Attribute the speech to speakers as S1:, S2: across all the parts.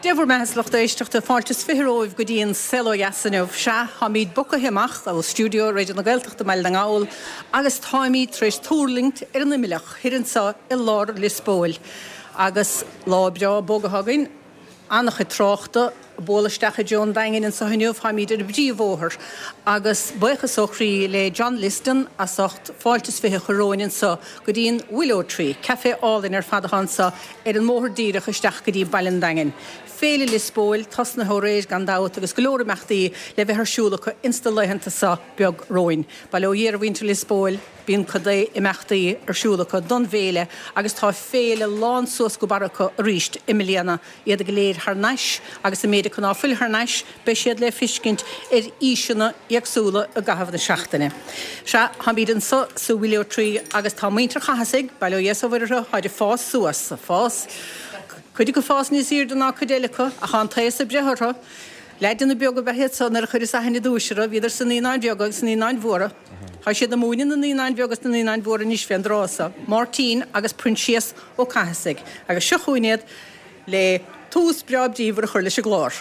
S1: Dé bhur mbeatha a lucht éisteachta, fáilte is 20 romhaibh go dtí an Saol Ó Dheas inniu. Sea, táimid bogtha amach ó stiúideo Raidió na Gaeltachta i mBaile na nGall agus táimid tar éis tuirlingt ar an Imleach thoir anseo i lár Lios Póil. Agus lá breá bog atá againn, an-chuid tráchta ag bualadh isteach i dtreo an Daingin anseo inniu, táimid ar an bpríomhbhóthar agus buíochas ó chroí le John Liston as ucht fáilte is 20 a chur romhainn anseo go dtí an Willow Tree, café álainn ar fad atá anseo ar an mbóthar díreach isteach go dtí Baile an Daingin. Féile Lios Póil tosnaithe ó aréir gan dabht agus go leor imeachtaí le bheith ar siúl acu ins na laethanta seo beag romhainn. Bail ó Dhia ar mhuintir Lios Póil. Bíonn cuid d'imeachtaí ar siúl acu don bhféile agus tá féile lán suas go barra acu arís i mbliana, iad go léir thar n-ais agus an méid acu ná fuil thar n-ais, beidh siad le feiscint ar fhíseanna éagsúla i gcaitheamh na seachtaine. Sea, táimid anso sa Willow Tree agus tá muintir Chathasaigh, bail ó Dhia is ó Mhuire orthu, táid ag fás suas, fás, cuid acu fás níos aoirde ná cuid eile acu ach tá an t-aos ag breith orthu. Leaideanna beaga ab ea iad so nuair a chuireas aithne i dtús orthu, bhíodar sna Naíonáin Bheaga agus sna Naíonáin Mhóra. Tá siad ag múineadh na Naíonáin Bheaga is na Naíonáin Mhóra anois fén dtráth so, Máirtín agus Proinsias Ó Cathasaigh, agus seo chugainn iad le tús breá bríomhar a chur leis an gclár.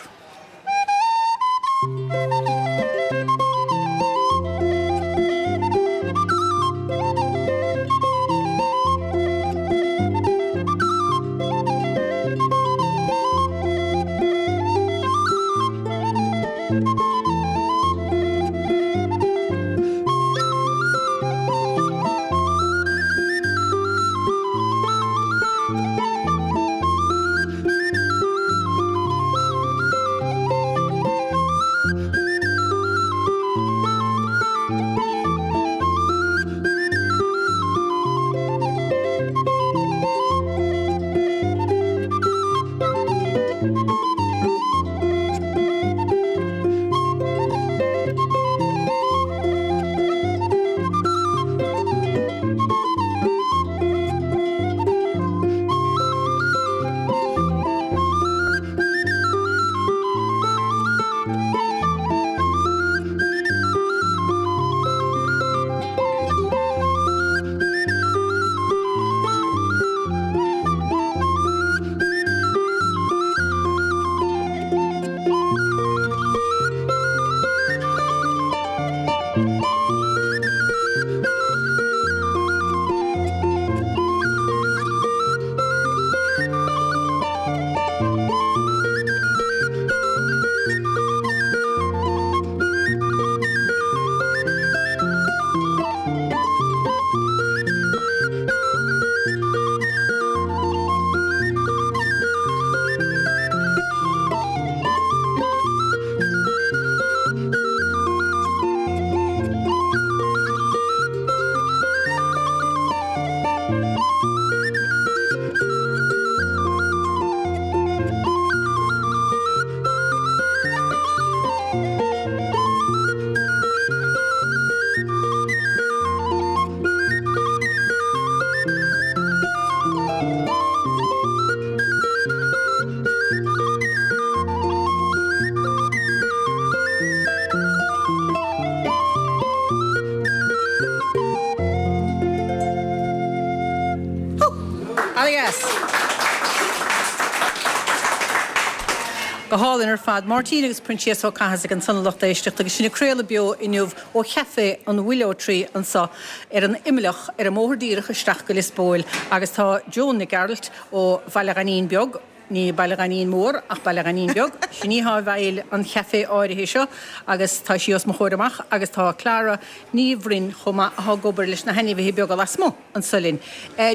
S1: Go hálainn ar fad. Máirtín agus Proinsias Ó Cathasaigh ansan a lucht éisteachta agus sinn ag craoladh beo inniu ó Chaifé an Willow Tree anso ar an Imleach ar an mbóthar díreach isteach go Lios Póil agus tá Joan Nic Gearailt ó Bhaile Ghainín Beag, ní Baile Ghainín Mór ach Baile Ghainín Beag, sin í atá i bhfeighil an chaifé áirithe seo agus tá sí os mo chomhair amach agus tá Clara Ní Bhroin chomh maith atá ag obair leis na hainmhithe beaga lasmuigh anso linn.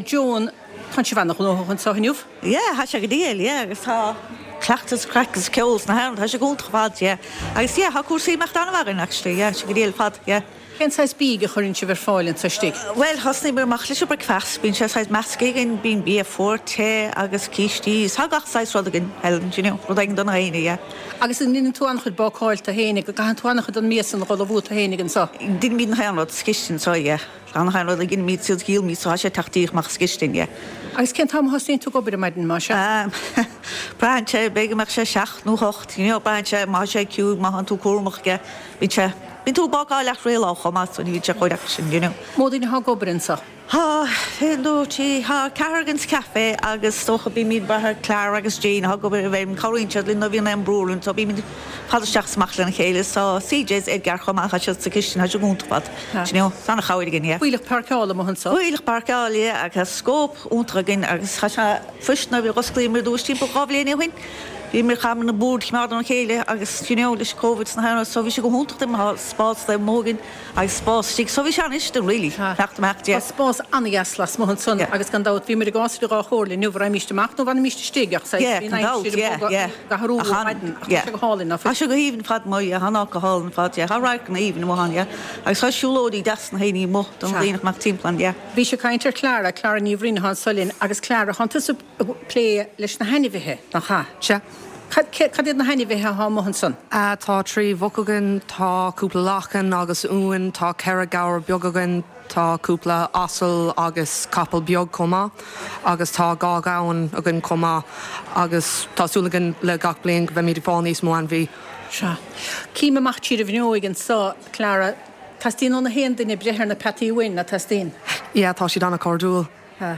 S1: Joan, tánn sibh ana-ghnóthach anso inniu?
S2: Yeah, tá sé go diail, yeah, agus tá cleachtas, craic is ceol sna hamhráin, tá sé go hiontach ar fad, yeah. Agus yeah, tá cúrsaí ag imeacht an-mhaith againn actually, yeah, tá sé go diail ar fad, yeah.
S1: Cén saghas bídh a chuireann sibh ar fáil anso istigh?
S2: Bhuel, thosnaíomar amach leis an bricfeast, bíonn sé saghas measctha againn, bíonn bia fuar, te agus cístí, is tá gach saghas rud againn, Helen, do you know, rud éigin do gach éinne, yeah.
S1: Agus an ndeineann tú an-chuid bácáil tú fhéinig, an gcaitheann tú an-chuid den mbia san a dh'ullmhú tú fhéinig anso?
S2: Deinimid nach aon rud sa chistin anso, yeah. Tá nach aon rud a dheinimid is a dhíolaimid so tá sé ag teacht díreach amach as an gcistin, yeah.
S1: Agus cén t-am a thosnaíonn tú ag obair ar maidin, más
S2: ea? Braitheann sé, b'fhéidir go mbeadh sé seacht nó hocht, you know, braitheann sé, má tá sé ciúin, má thánn tú cúramach, yeah, bíonn sé, bíonn tú ag bácáil achan lá chomh maith so ní bhíonn sé chomh deacair sin, you know.
S1: Mó daoine atá ag obair anso?
S2: Tá, aon, dó, trí, tá ceathrar againn sa chaifé agus is dócha bímid ag brath ar Clara agus Jane atá ag obair i bhfeirm, cabhraíonn siad linn nuair a bhíonn aon brú orainn so bímid fad isteach is amach lena chéile. Tá CJ is Edgar chomh maith, tá siad sa chistin, tá siad go hiontach ar fad, you know, tá an-chabhair againn, yeah.
S1: Fuílleach páirceála amuigh anso.
S2: Fuílleach páirceála, yeah, agus tá scóip iontach againn agus tá sé fuist nuair a dh'osclaíomar ar dtús timpeall 2 bhliain ó shin, bhíomar chaitheamar na boird a choimeád óna chéile agus you know leis Covid is na haon rud so bhí sé go hiontach dúinn, tá spás taobh amuigh againn. Agus spás istigh. So bhí sé an-fhuirist really, teacht amach
S1: de. Tá spás an-dheas lasmuigh ansan agus gan dabht bhí muid ag idir dhá chomhairle inniu, an raghaimíst amach nó an bhfanfaimíst istigh ach saghas bhí an aimsir ag bogadh ag athrú ó maidin ach tá sé go hálainn ná
S2: fuil? Tá sé go haoibhinn ar fad amuigh, yeah, tá an áit go hálainn ar fad, yeah, tá radharcanna aoibhinn amuigh ann, yeah, agus tá siúlóidí deas na haoine amuigh don daoine a mbeadh timpeall ann, yeah.
S1: Bhís ag caint ar Clara, Clara Ní Bhroin atá anso linn agus Clara, thánn tusa ag plé leis na hainmhithe, nach ea?
S3: Sea.
S1: Cad, cad iad na hainmhithe atá amuigh ansan?
S3: Tá 3 mhuc againn, tá cúpla lachan agus uain, tá 4 gabhar beag againn, tá cúpla asal agus capall beag chomh maith agus tá 2 ghamhain againn chomh maith agus tá súil againn le gach bliain go mbeimid ag fáil níos mó ainmhí.
S1: Sea. Cím amach tríd an bhfuinneoig anso, Clara, teastaíonn ó na haon duine breith ar na peataí uain, ná teastaíonn?
S3: Yeah, tá siad an-chairdiúil.
S1: Tá.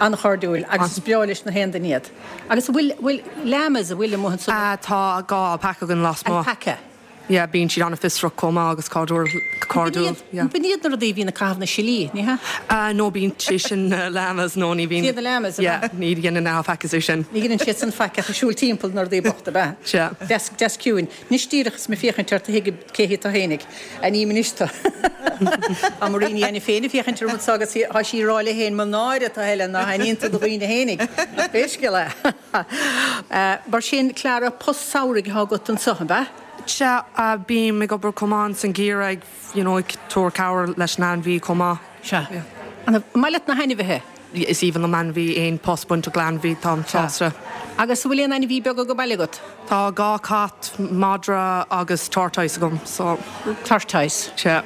S1: An-chairdiúil agus is breá leis na haon duine iad. Agus an bhfuil, bhfuil llamas, an bhfuil amuigh ansan?
S3: Tá 2 alpaca againn lasmuigh.
S1: Alpaca.
S3: Yeah, bíonn siad an-fhiosrach chomh maith agus cairdiúil, cairdiúil, yeah.
S1: B'in iad na rudaí a bhíonn ag caitheamh na silí, ní
S3: hea? No, bíonn sé sin na llamas, no ní bhíonn.
S1: Siad na llamas, ab
S3: ea? Yeah, ní dhéanann na alpacas é sin.
S1: Ní dhéanann siad san faic ach ag siúl timpeall na rudaí bochta, ab ea?
S3: Sea.
S1: Deas, deas ciúin. Anois díreach is mé féachaint ort a thuigim cé hí tú fhéinig. A ním anois tú. Tá Marie Ní Ainiféin féin ag féachaint orm anso agus tá sí ag rá léi féin, mo náire atá Helen ná haithníonn tú do dhaoine fhéinig. Ach pé scéal é. Mar sin, Clara, post samhraidh atá agat anso, ab ea?
S3: Sea, bím ag obair chomh maith ins an gheimhreadh ag, you know, ag tabhairt cabhair leis na hainmhí chomh maith.
S1: Sea. An maith leat na hainmhithe?
S3: Is aoibhinn liom ainmhí, aon post bainteach le ainmhí, táim sásta.
S1: Agus an bhfuil aon ainmhí beag ag baile agat?
S3: Tá 2 cat, madra agus tortoise agam, so.
S1: Tortoise?
S3: Sea.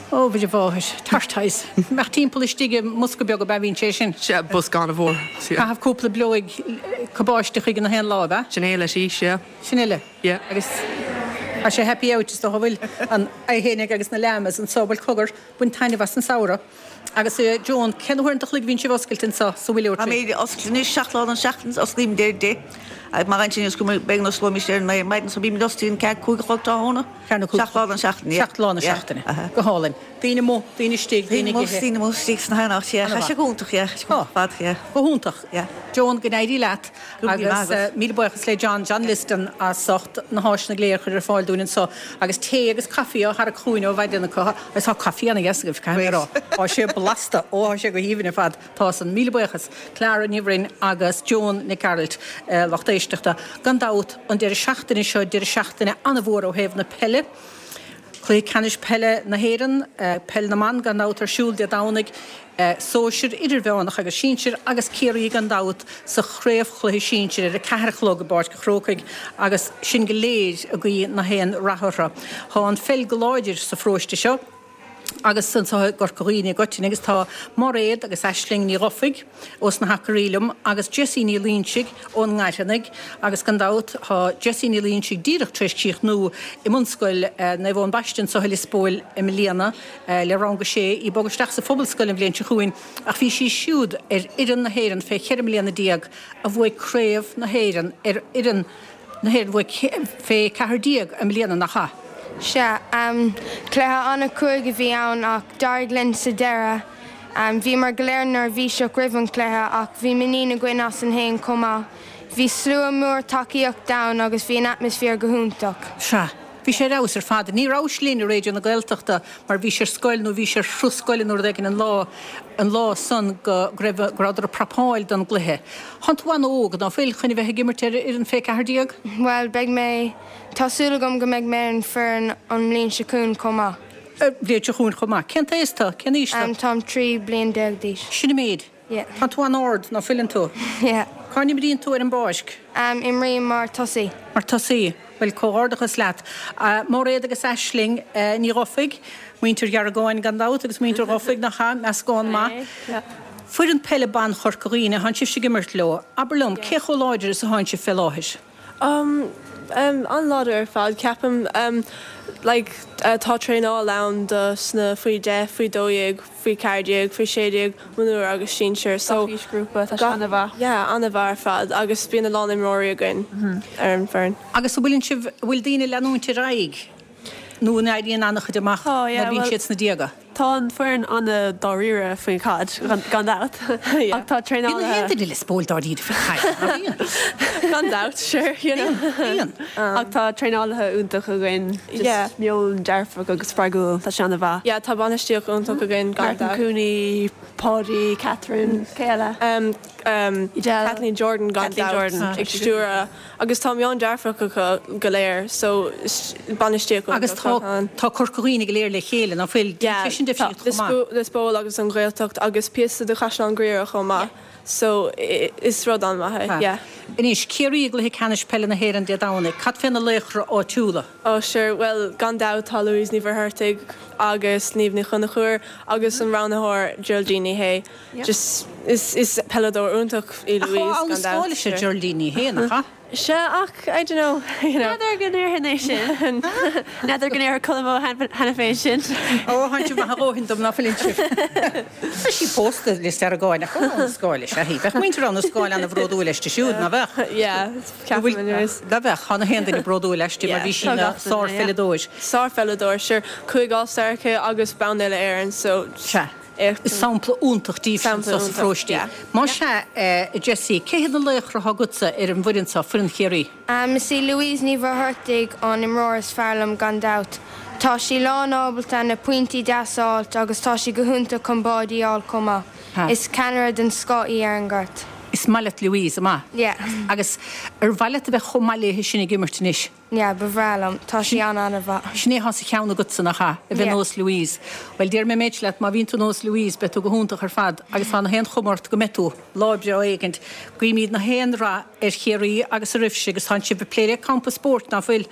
S1: Ó, Mhuire Mháthair, tortoise. Imeacht timpeall istigh i mbosca beag ab ea bhíonn sé sin?
S3: Sea, bosca an-mhór.
S1: Caitheamh cúpla bileoig cabáiste chuige na haon lá, ab ea?
S3: Sin é leis í, sea.
S1: Sin uile.
S3: Yeah.
S1: Agus tá sé happy out is dócha an bhfuil an é fhéinig agus na llamas anso, bhuel cogar, bain taitneamh as an samhradh. Agus a Joan, cén uair an chloig a bhíonn sibh oscailte anso sa Willow Tree?
S2: Táimid oscailte anois 7 lá den seachtain, osclaímid ar 10 agus má bhíonn sin is cuma beidh na osclóimid ar 9 ar maidin so bímid oscailte 4, 5 a chlog tráthnóna, 7 lá den seachtain,
S1: yeah. 7 lá na seachtaine. Go hálainn. Daoine amuigh, daoine istigh, daoine ag ithe.
S2: Daoine amuigh, daoine istigh sna haon áit, yeah. Tá sé go hiontach, yeah. Tá sé go hiontach ar fad, yeah.
S1: Go hiontach.
S2: Yeah.
S1: Joan, go n-éirí leat.
S2: Agus
S1: míle buíochas le John, John Liston, as ucht na háiseanna go léir a chur ar fáil dúinn anso agus tae agus caife á tharrac chugainn ó mhaidin acu. Agus tá caife ana-dheas agaibh, caithfidh mé a rá. Tá sé blasta! Ó, tá sé go haoibhinn ar fad. Tá san. Míle buíochas. Clara Ní Bhroin agus Joan Nic Gearailt, lucht éisteachta. Gan dabht, an deireadh seachtaine seo, deireadh seachtaine an-mhór ó thaobh na peile. Cluiche Ceannais Peile na hÉireann, Peil na mBan gan dabht ar siúl Dé Domhnaigh, Sóisir, Idirmheánach agus Sinsir agus Ciarraí gan dabht sa chraobhchluiche sinsir ar a ceathair a chlog i bPáirc an Chrócaigh agus sinn go léir ag guí na haon rath orthu. Tá an pheil go láidir sa pharóiste seo agus anseo i gCorca Dhuibhne i gcoitinne agus tá Mairéad agus Aisling Ní Dhufaigh ós na hAcairí liom agus Jessie Ní Loingsigh ón nGairfeanaigh agus gan dabht tá Jessie Ní Loingsigh díreach tar éis críochnú i mBunscoil Naomh Eoin Baiste anseo i Lios Póil i mbliana le rang a sé, í ag bogadh isteach sa Phobalscoil an bhliain seo chugainn ach bhí sí siúd ar fhoireann na hÉireann fé 14 mbliana a bhuaigh Craobh na hÉireann ar fhoireann na hÉireann bhuaigh fé 14 i mbliana, nach ea?
S4: Sea. Cluiche an-chruaidh a bhí ann ach d'éirigh linn sa deireadh. Bhíomar go léir neirbhíseach roimh an chluiche ach bhí muinín againn asainn fhéin chomh maith. Bhí slua mór tacaíochta ann agus bhí an atmaisféar go hiontach.
S1: Sea. Bhí sé ar fheabhas ar fad. Ní rabhais linn i Raidió na Gaeltachta mar bhís ar scoil nó bhís ar thuras scoile nó rud éigin an lá, an lá san go raibh, go rabhadar ag prapáil don gcluiche. Thánn tú an-óg, ná fuil, chun a bheith ag imirt ar fhoireann fé 14?
S4: Bhuel, beidh mé, tá súil agam go mbeidh mé ar an foireann an mbliain seo chugainn chomh maith.
S1: Bhliain seo chugainn chomh maith. Cén t-aos tú? Cén aois
S4: tú? Táim 13 bliain d'aois.
S1: Sin an méid.
S4: Yeah.
S1: Tá tú an-ard, ná fuileann tú?
S4: Yeah.
S1: Cá n-imríonn tú ar an bpáirc?
S4: Imrím mar tosaí.
S1: Mar tosaí. Bhuel, comhghairdeachas leat. Mairéad agus Aisling Ní Dhufaigh, muintir Gheargáin gan dabht agus muintir Dhufaigh, nach ea? Meascán maith. Foireann peile ban Chorca Dhuibhne, thánn sibhse ag imirt leo. Abair liom, cé chomh láidir is athánn sibh fé láthair?
S5: Um, an-láidir ar fad, ceapaim. Like, tá traenáil ann do sna faoi 10, faoi 12, faoi 14, faoi 16, mionúir agus sinsir. So,
S6: Gach aoisghrúpa, tá sé an-mhaith.
S5: Yeah, an-mhaith ar fad agus bíonn a lán imreoirí againn ar an bhfoireann.
S1: Agus an bhfuileann sibh, an bhfuil daoine ag leanúint ar aghaidh nó an éiríonn an-chuid amach
S6: Tá, yeah,
S1: nuair a bhíonn
S6: bhuel,
S1: siad sna déaga?
S6: Tá an foireann an-dáiríre faoin chaid, gan dabht, ach tá
S1: Bíonn
S6: traenálaithe.
S1: na haon duine i Lios Póil dáiríre faoin chaid, ná bíonn?
S5: Gan dabht, sure, you know.
S1: Bíonn.
S6: Ach tá traenálaithe iontach againn, just meon dearfach agus spreagúil, tá sé an-mhaith.
S5: Yeah, tá bainistíocht iontach againn, gan
S6: Martin
S5: dabht.
S6: Cooney, Paudie, Catherine, cé eile? Edel.
S5: Kathleen Jordan, gan
S6: Kathleen
S5: dabht,
S6: Jordan.
S5: ag stiúradh. Agus tá meon dearfach acu go léir so bainistíocht
S1: Agus
S5: iontach
S1: tá
S5: ann.
S1: tá Corca Dhuibhne go léir le chéile, ná fuil?
S5: Yeah,
S1: Déanann sé sin difríocht chomh maith.
S5: Lios Póil agus an Ghaeltacht agus píosa de Chaisleán Ghriaire chomh maith so is rud an-mhaith é, yeah.
S1: Anois, Ciarraí i gcluiche ceannais peile na hÉireann Dé Domhnaigh, cad fé na laochra áitiúla?
S5: Oh sure, bhuel gan dabht tá Louise Ní Mhuircheartaigh agus Niamh Ní Chonchúir agus an roghnaitheoir Geraldine Ní Shé. Just, is, is peileadóir iontach í
S1: Ach
S5: Louise,
S1: ó,
S5: gan
S1: an
S5: dabht,
S1: scáil is ea
S5: sure.
S1: Geraldine Ní Shé, nach ea?
S5: Sea, ach, I don't know, you know.
S6: N'fheadar go ndéarfainn é sin. N'fheadar go ndéarfadh Colm Ó cheana féin sin.
S1: Ó, thánn sibh maith a dhóthain dom, ná fuileann sibh. Tá sí pósta le Deargán, ach ó, an scáil is ea í. Bheadh muintir Abha na Scáil an-bhródúil aisti siúd, ná bheadh?
S5: Yeah, ceapaim anyways.
S1: Ná bheadh? Tá na haon duine bródúil aisti mar bhí sí ina sárpheileadóir.
S5: Sárpheileadóir, sure. 5 All-Star aici agus bonn uile-Éireann, so.
S1: Sea.
S5: Éacht.
S1: Is sampla iontach díobh anso sa pharóiste. Más ea, a Jessie, cé hiad na laochra atá agatsa ar an bhfoireann seo, foireann Chiarraí?
S4: Is í Louise Ní Mhuircheartaigh an imreoir is fearr liom gan dabht. Tá sí lán ábalta na pointí deasa a fháilt agus tá sí go hiontach chun báidí a fháil chomh maith. Is ceannaire den scoth í ar an gcoirt.
S1: Is maith leat Louise, an maith?
S4: Yeah.
S1: Agus ar mhaith leat a bheith chomh maith léithe sin ag imirt anois?
S4: Yeah, ba bhreá liom. Tá sí an-an-mhaith.
S1: Sin é atá sa cheann agatsa, nach ea? A bheith
S4: Yeah.
S1: nós Louise. Bhuel, déarfaidh mé an méid seo leat, má bhíonn tú nós Louise, beidh tú go hiontach ar fad agus tá na haon chuma ort go mbeidh tú, lá breá éigint. Guímid na haon rath ar Chiarraí agus oraibhse agus tánn sibh ag plé le campa spóirt, ná fuil?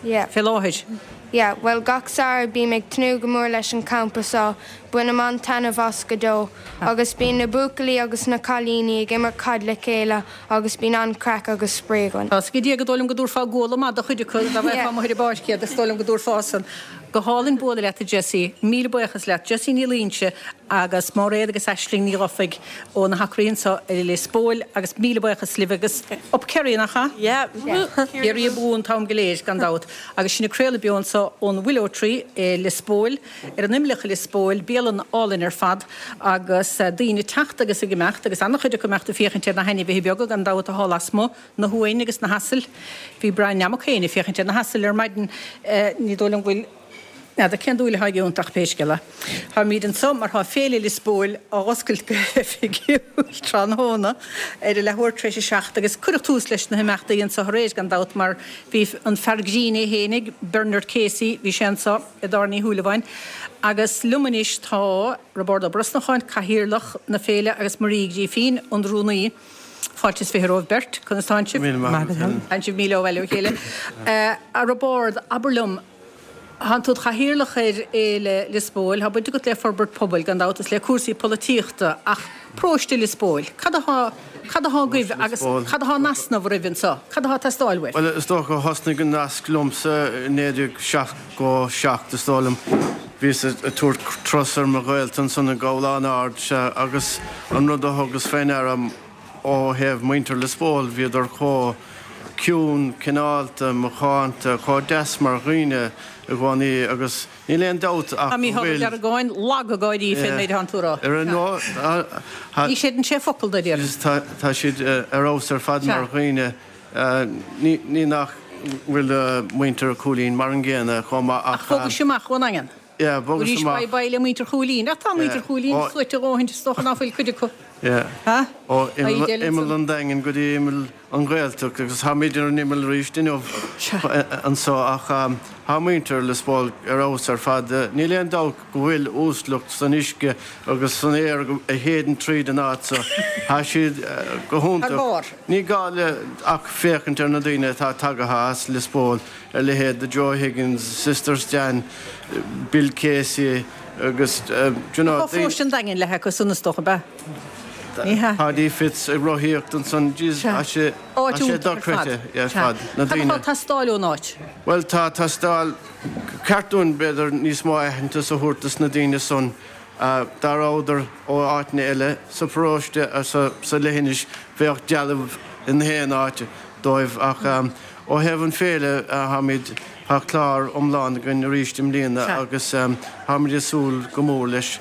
S4: Yeah.
S1: Fé láthair.
S4: Yeah, bhuel gach samhradh bím ag tnúth go mór leis an campa seo, bainim an-taitneamh as go deo. Agus bíonn na buachaillí agus na cailíní ag imirt caid le chéile agus bíonn an-craic agus spraoi againn.
S1: Tá 's ag Dia gur dóigh liom go dtabharfá guala maith do chuid acu dá mbeifeá amuigh ar an bpáirc iad, is dóigh liom go dtabharfá san. Go hálainn bualadh leat a Jessie. Míle buíochas leat. Jessie Ní Loingsigh agus Máiréad agus Aisling Ní Dhufaigh ó na hAcraí anso i Lios Póil agus míle buíochas libh agus up Kerry, nach ea?
S5: Yeah.
S1: Ciarraí abú an t-am go léir, gan dabht. Agus sinn ag craoladh beo anso ón Willow Tree i Lios Póil. Ar an Imleach i Lios Póil, bialann álainn ar fad agus daoine ag teacht agus ag imeacht agus an-chuid acu ag imeacht ag féachaint ar na hainmhithe beaga gan dabht atá lasmuigh, na huain agus na hasail. Bhí Brian Mac féin ag féachaint ar na hasail ar maidin, ní dóigh liom go bhfuil, n'fheadar cén dúil atá aige iontu ach pé scéal é. Táimid anso mar tá Féile Lios Póil á oscailt go hoifigiúil tráthnóna ar a leathuair tar éis a 7 agus cuireadh tús leis na himeachtaí anso aréir gan dabht mar bhí an fear grinn é fhéinig, Bernard Casey, bhí sé anso. i dTábhairne Uí Shúilleabháin. Agus liom anois tá Roibeárd Ó Brosnacháin, Cathaoirleach na féile agus Marie Uí Ghrífín, an Rúnaí. Fáilte is 20 romhaibh beirt. Conas tánn sibh?
S7: Míle maith agat, Helen.
S1: Tánn sibh míle ó bhaile ó chéile. A Roibeárd, abair liom, thánn tú id chathaoirleach ar Fhéile Lios Póil, tá baint agat le forbairt pobail, gan dabht, is le cúrsaí polaitíochta, ach paróiste Lios Póil, cad atá, cad atá agaibh agus cad atá in easnamh oraibh anseo? Cad atá ag teastáil uaibh?
S7: Bhuel, is dócha, thosnaigh an nasc liomsa i 1977, is dóigh liom. Bhíos ag tabhairt turas ar mo ghaolta ansan i gCabhlán Ard, sea, agus an rud a thugas fé ndeara ó thaobh muintir Lios Póil, bhíodar chomh ciúin, cineálta, macánta, chomh deas mar dhaoine i gcónaí agus Níl aon dabht ach
S1: Tá
S7: go
S1: Mícheál Ó
S7: bhfuil.
S1: Deargáin lag ag gáirí fén méid atánn tú a rá.
S7: Ar an ndóigh,
S1: Ní chreideann sé focal de, déarfainn.
S7: Tá siad ar fheabhas ar fad mar dhaoine. Ní nach bhfuil muintir Chúilín mar an gcéanna chomh maith ach.
S1: Ach bhogais amach ón nDaingean.
S7: Yeah, bhogas
S1: Arís
S7: amach.
S1: bye bye le muintir Chúilín. Ach tá muintir Chúilín suaite a dhóthain, is dócha ná fuil cuid acu.
S7: Yeah.
S1: Ha?
S7: Ó imeall an Daingin go dtí imeall an Ghaeltacht agus táimid ar an imeall arís inniu anso ach tá muintir Lios Póil ar fheabhas ar fad. Níl aon dabht go bhfuil uaisleacht san uisce agus san aer a shéideann tríd an áit so. Tá siad go hiontach. Ní gá le ach féachaint ar na daoine atá tagaithe as Lios Póil, a leithéid de Joe Higgins, Sister Stan, Bill Casey agus, do you know,
S1: Tá paróiste an Daingin le acu san is dócha, ab ea?
S7: Paddy Fitz ag rothaíocht ansan, jeez, tá sé, tá sé dochreidte ar fad, na daoine.
S1: Cad atá ag teastáil ón áit?
S7: Bhuel, tá teastáil, ceart dúinn b'fhéidir níos mó aitheantas a thabhairt dos na daoine san. Dá rabhadar ó áiteanna eile sa pharóiste, sa leithinis, bheadh dealbh in aon áit dóibh ach ó thaobh an féile táimid, tá clár iomlán againn arís i mbliana agus táimid ag súil go mór leis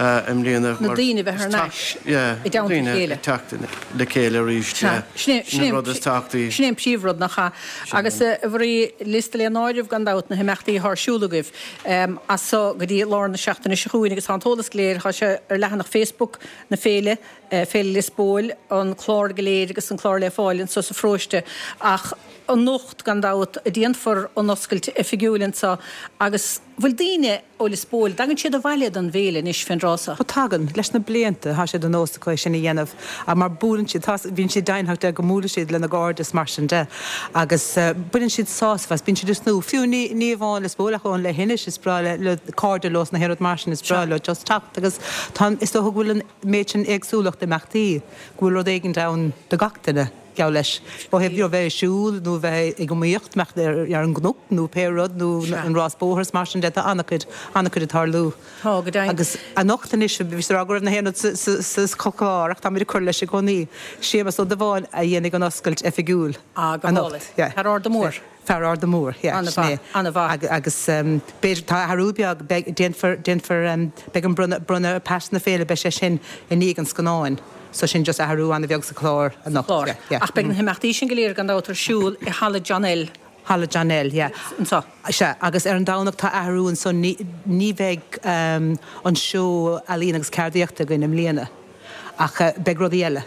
S7: i mbliana
S1: mar Na daoine a bheith thar n-ais i dteannta a
S7: daoine chéile. ag teacht le chéile arís, yeah.
S1: Sin
S7: Sin an rud is tábhachtaí.
S1: Sin é an príomhrud, nach ea? Agus a Mharie, liosta le n-áireamh gan dabht na himeachtaí atá ar siúl agaibh as so go dtí lár na seachtaine seo chugainn agus tá an t-eolas go léir, tá sé ar leathanach Facebook na féile, Féile Lios Póil, an clár go léir agus an clár le fáil anso sa pharóiste. Ach anocht, gan dabht, a déanfar an oscailt oifigiúil anso agus bhfuil daoine ó Lios Póil, dtagann siad abhaile don bhféile anois fén dtráth
S8: so? Ó tagann. Leis na blianta tá sé de nós acu é sin a dhéanamh mar buaileann siad, tá, bíonn siad deimhneach de go mbuailfidh siad lena gcairde is mar sin de agus baineann siad sásamh as, bíonn siad ag tnúth, fiú ní, ní amháin Lios Póil ach ón leithinis, is breá le, le cairde leo is na haon rud mar sin, is breá leo just teacht agus tá, is dócha go bhfuil an méid sin éagsúlacht imeachtaí go bhfuil rud éigint ann do gach duine. Geall leis, ó thaobh you know bheith ag siúl nó bheith ag iomaíocht, imeacht ar an gcnoc nó pé rud nó an rás bóthair is mar sin de, tá an-chuid, an-chuid ag tarlú.
S1: Tá, go deimhin.
S8: Agus anocht anois, bhí mé ag rá go raibh na haon rud sa chlár ach táimid ag cur leis i gcónaí. Séamus Ó Dubháin a dhéanfaidh an oscailt oifigiúil
S1: Ah, go
S8: anocht.
S1: hálainn. Yeah. Fear Arda Mór.
S8: Fear Arda Mór, yeah, sin é.
S1: An-mhaith,
S8: an-mhaith. Agus b'fhéidir, tá athrú beag, beidh, déanfar, déanfar, beidh an bronnadh, bronnadh pas na féile, beidh sé sin i ndiaidh an scannáin. So sin just athrú an-bheag sa chlár anocht,
S1: Clár. yeah, yeah. Ach beidh na himeachtaí sin go léir gan dabht ar siúl i Halla John L.
S8: Halla John L, yeah.
S1: Anseo.
S8: Sea, agus ar an Domhnach tá athrú ansan, ní, ní bheidh an seó ealaíon agus ceardaíochta againn i mbliana. Ach beidh rudaí eile.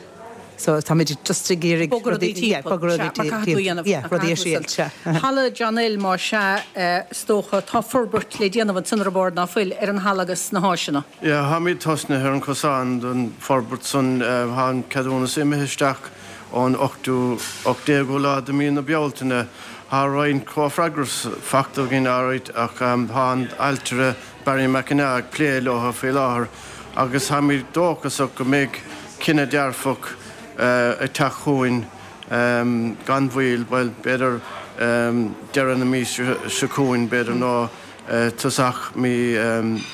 S8: So táimid just ag iarraidh
S1: Bogadh rudaí
S8: yeah,
S1: timpeall.
S8: bogadh
S1: Sea,
S8: rudaí
S1: mar caithfidh tú a dhéanamh.
S8: yeah,
S1: Mar
S8: rudaí a
S1: caithfidh tú
S8: thriail, sea.
S1: Halla John L más ea, is dócha, tá forbairt le déanamh ansan ar bord ná fuil, ar an halla agus na háiseanna.
S7: Yeah, táimid tosnaithe ar an cosán don forbairt san. Tá an ceadúnas imithe isteach ón 8ú, 18ú lá de mí na Bealtaine. Tá roinnt comhfhreagras fachta againn alright ach tá an ailtire Barry McEnagh ag plé leo faoi láthair agus táimid dóchasach go mbeidh cinneadh dearfach ag teacht chugainn gan mhoill, bhuel, b'fhéidir deireadh na míosa seo chugainn, b'fhéidir, nó tosach mí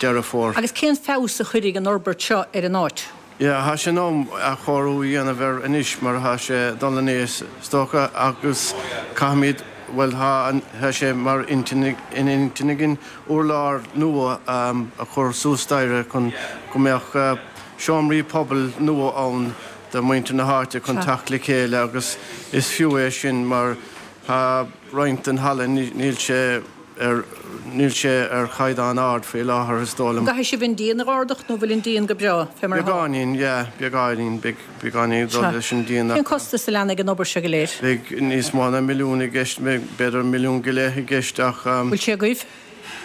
S7: Deireadh Fómhair.
S1: Agus cén feabhas a chuirfidh an fhorbairt seo ar an áit?
S7: Yeah, tá sé in am athchóiriú a dhéanamh air anois mar tá sé ag dul in aois is dócha agus caithfimid, bhuel tá, tá sé mar intinn, in intinn againn urlár nua a chur suas staighre chun go mbeadh seomraí pobail nua ann do mhuintir na háite chun teacht le chéile agus is fiú é sin mar tá roinnt den halla, níl sé. ar, níl sé ar chaighdeán ard faoi láthair, is dóigh liom.
S1: An gcaithfidh sibh an díon a dh'ardach nó bhfuil an díon go breá fé mar
S7: atá? Beagáinín, yeah, beagáinín, beidh beagáinín ag dul leis an díon
S1: ach. Cén costas a leanfaidh an obair seo go léir?
S7: Beidh níos mó ná milliún i gceist, b'fhéidir milliún go leith i gceist ach.
S1: Bhfuil sé agaibh?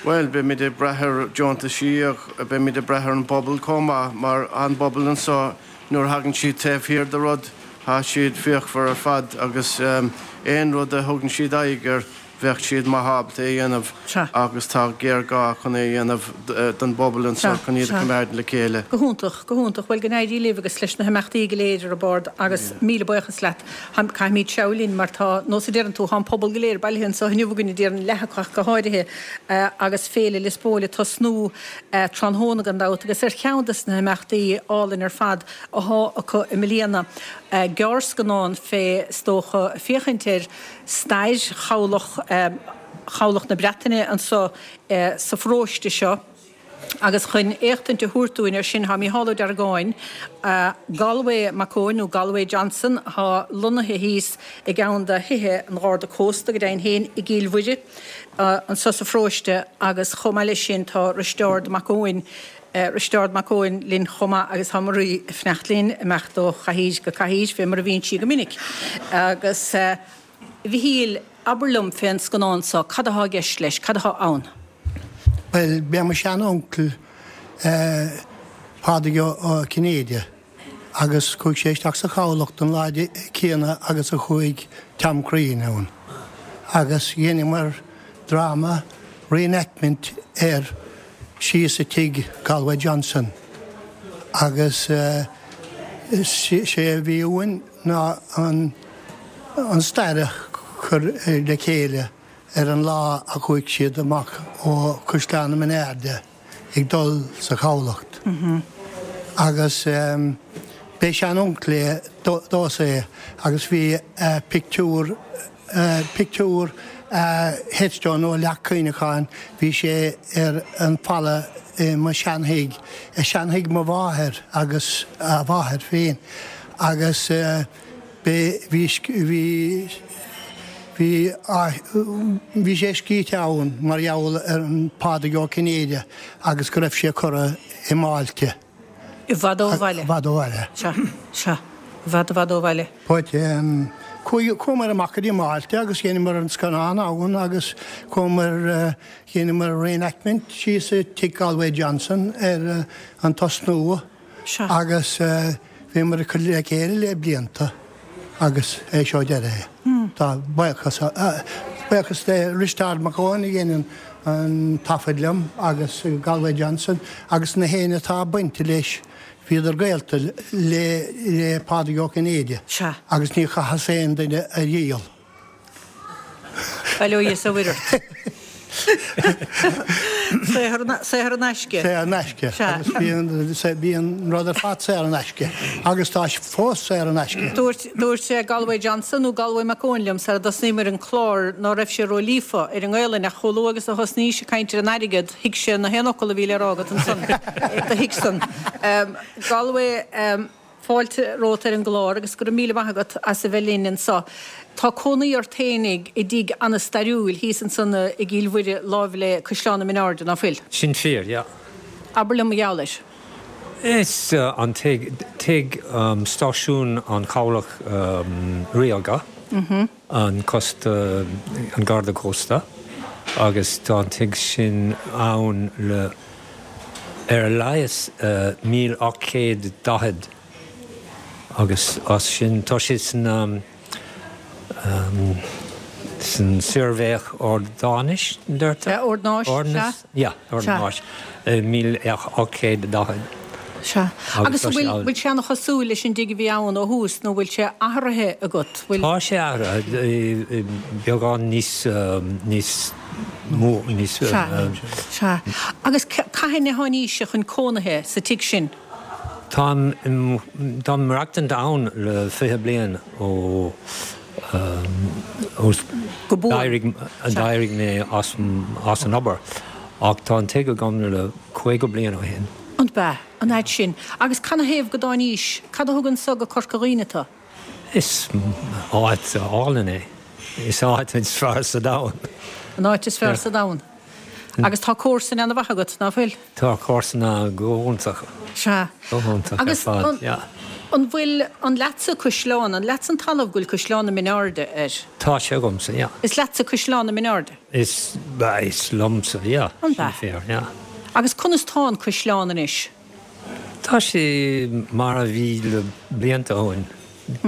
S7: Bhuel, beimid ag brath ar deontaisí ach beimid ag brath ar an bpobal chomh maith mar an bpobal anseo nuair a thagann siad taobh thiar de rud, tá siad fíochmhar ar fad agus aon rud a thugann siad aghaidh air, Bheadh siad maith ábalta é a dhéanamh agus tá géarghá chun é a dhéanamh don bpobal anseo chun iad a choimeád le chéile.
S1: Go hiontach, go hiontach. Bhuel, go n-éirí libh agus leis na himeachtaí go léir ar bord agus míle buíochas leat. Caithfimid treabhadh linn mar tá, nós a deireann tú, tá an pobal go léir bailithe anseo inniu againn, déarfainn leath acu ach go háirithe, agus Féile Lios Póil ag tosnú tráthnóna gan dabht agus ar cheann de na himeachtaí álainn ar fad athá acu i mbliana, gearrscannán fé, is dócha, féachaint ar stair chabhlach Chabhlach na Breataine anso sa pharóiste seo agus chun éachtaint a thabhairt dúinn air sin tá Mícheál Ó Deargáin, Galway Mac Eoin nó Galway Johnson atá lonnaithe thíos i gceann de thithe an Gharda Cósta go deimhin féin i gCill Mhuire anso sa pharóiste agus chomh maith leis sin tá Risteárd Mac Eoin Risteárd Mac Eoin linn chomh maith agus tá Marie ag fanacht linn, imeacht ó chathaoir go cathaoir fé mar a bhíonn sí go minic. Agus a Mhichíl, abair liom fén scannán so, cad athá i gceist leis, cad athá ann?
S9: Bhuel, b'é mo shean-uncail Pádraig Ó Cinnéide agus chuaigh sé isteach sa chabhlach don lá céanna agus a chuaigh Tom Crean ann agus dheineamar dráma reenactment air síos i tigh Galway Johnson agus. Sé a bhí uainn ná an stair a chur le chéile ar an lá a chuaigh siad amach ó Chaisleán na Mine Airde ag dul sa chabhlach. Agus b'é sean-uncail é domhsa é agus bhí pictiúr, pictiúr headstone nó leac cuimhneacháin, bhí sé ar an falla i mo sheanthigh, i seanthigh mo mháthair agus a mháthair féin agus b'é, bhí, bhí, bhí, bhí sé scríte ann mar gheall ar an Pádraig Ó Cinnéide agus go raibh sé curtha i mBáilte.
S1: I bhfad ó bhaile.
S9: I bhfad ó bhaile.
S1: Sea, sea. I bhfad, i bhfad ó bhaile.
S9: But, chuaigh, chuamar amach go dtí Máilte agus dheineamar an scannán ann agus chuamar, dheineamar reenactment síos i tigh Galway Johnson ar an tosnú.
S1: Sea.
S9: Agus bhíomar ag cur le chéile le blianta agus é seo deireadh é. Tá buíochas, buíochas le Risteárd Mac Eoin a dhein an taifead liom agus Galway Johnson agus na héinne atá bainte leis, bhíodar gaolta le Pádraig Ó Cinnéide agus ní chaitheas aon duine a dhíol.
S1: Bail ó Dhia is ó Mhuire ort. Saothar in aisce.
S9: Saothar in aisce. Agus bhí an rud ar fad saor in aisce. Agus tá sé fós saor in aisce.
S1: Dúirt, dúirt Galway Johnson nó Galway Mac Eoin liom sara dtosnaíomar an clár ná raibh sé ró-líofa ar an nGaelainn ach chomh luath agus a thosnaís ag caint ar an airgead thuig sé na haon fhocal a bhí le rá agat ansan. Do thuig san. Galway. Fáilte romhat ar an gclár agus go raibh míle maith agat as a bheith linn anso. Tá cónaí ort fhéinig i dtigh ana-stairiúil thíos ansan i gCill Mhuire láimh le Caisleán na Mine Airde, ná fuil?
S10: Sin fíor, yeah.
S1: Abair liom mar gheall air.
S10: Is an tigh, tigh stáisiún an Chabhlach Ríoga, an costa, an Garda Cósta, agus tá an tigh sin ann le ar a laghas 1840 agus as sin tá sé san san Suirbhéach Ordanáis, an deirtear?
S1: Ordanáis, sea.
S10: Yeah, Ordanáis, 1840.
S1: Sea. Agus an bhfuil, bhfuil sé ana-chosúil leis an dtigh a bhí ann ó thús nó bhfuil sé athraithe agat?
S10: Bhfuil. Tá sé athraithe, beagán níos, níos mó, níos.
S1: Sea, sea. Agus cathain a tháinís-se chun cónaithe sa tigh sin?
S10: Táim, táim maireachtaint ann le 20 bliain ó, ó d'éirigh, d'éirigh mé as, as an obair ach tá an tigh agam le 50 bliain ó shin.
S1: An b'ea? An fhad sin? Agus canathaobh go dtáinís? Cad a thug anso go Corca Dhuibhne tu?
S10: Is áit álainn é. Is áit is fearr sa domhan.
S1: An áit is fearr sa domhan. Agus tá comharsain ana-mhaith agat, ná fuil?
S10: Tá comharsana go hiontach.
S1: Sea.
S10: Go hiontach ar fad, yeah.
S1: Agus an bhfuil, an leatsa Caisleán, an leatsa an talamh go bhfuil Caisleán na Mine Airde air?
S10: Tá sé agamsa, yeah.
S1: Is leatsa Caisleán na Mine Airde?
S10: Is, is liomsa, yeah.
S1: An b'ea?
S10: Sin fíor, yeah.
S1: Agus conas tá an caisleán anois?
S10: Tá sé mar a bhí le blianta ó shin,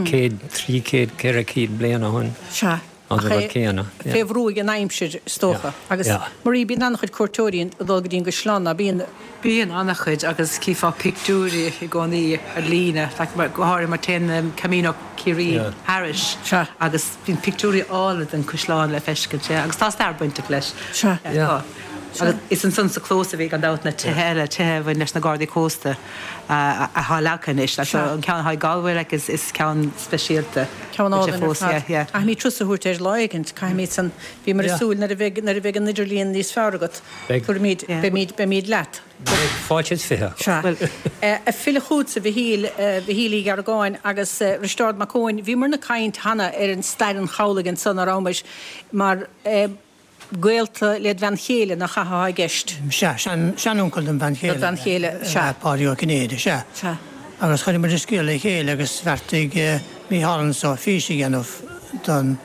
S10: céad, 300, 400 bliain ó shin.
S1: Sea.
S10: An rud céanna.
S1: Ach é fé bhrú ag an aimsir, is dócha. Agus Marie, bíonn an-chuid cuairteoirí ag dul go dtí an gcaisleán, ná bíonn?
S8: Bíonn an-chuid agus cífeá pictiúirí i gcónaí ar líne, go háirithe mar téann Camino Ciarraí thairis agus bíonn pictiúirí áille den chaisleán le feiscint, yeah, agus tá stair bainteach leis.
S1: Sea.
S8: Yeah, tá. Agus is ansan sa chlós a bhí gan dabht na tithe eile, tithe a bhain leis na Gardaí Cósta atá leagtha anois. So an ceann atá i Galway like is is ceann speisialta.
S1: Ceann álainn ar fad. Yeah, yeah. Caithfimid turas a thabhairt air lá éigint, caithfimid san. Bhíomar ag súil nuair a bheidh nuair a bheidh an idirlíon níos fearr agat, tabharfaimid, beimid, beimid leat.
S10: Beidh fáilte is 20.
S1: Sea. Ag filleadh chugatsa, a Mhichíl, Mhichíl Uí Gheargáin agus Risteárd Mac Eoin, bhíomarna ag caint cheana ar an stair an chabhlaigh ansan, ná rabhamar, mar gaolta led bhean chéile, nach ea atá i gceist?
S11: Sea, sean-uncail don bhean chéile.
S1: Dod bhean chéile, sea.
S11: Páidí Ó Cinnéide, sea.
S1: Sea.
S11: Agus chuir muid an scéal le chéile agus bheartaigh Mícheál anso fís a dhéanamh don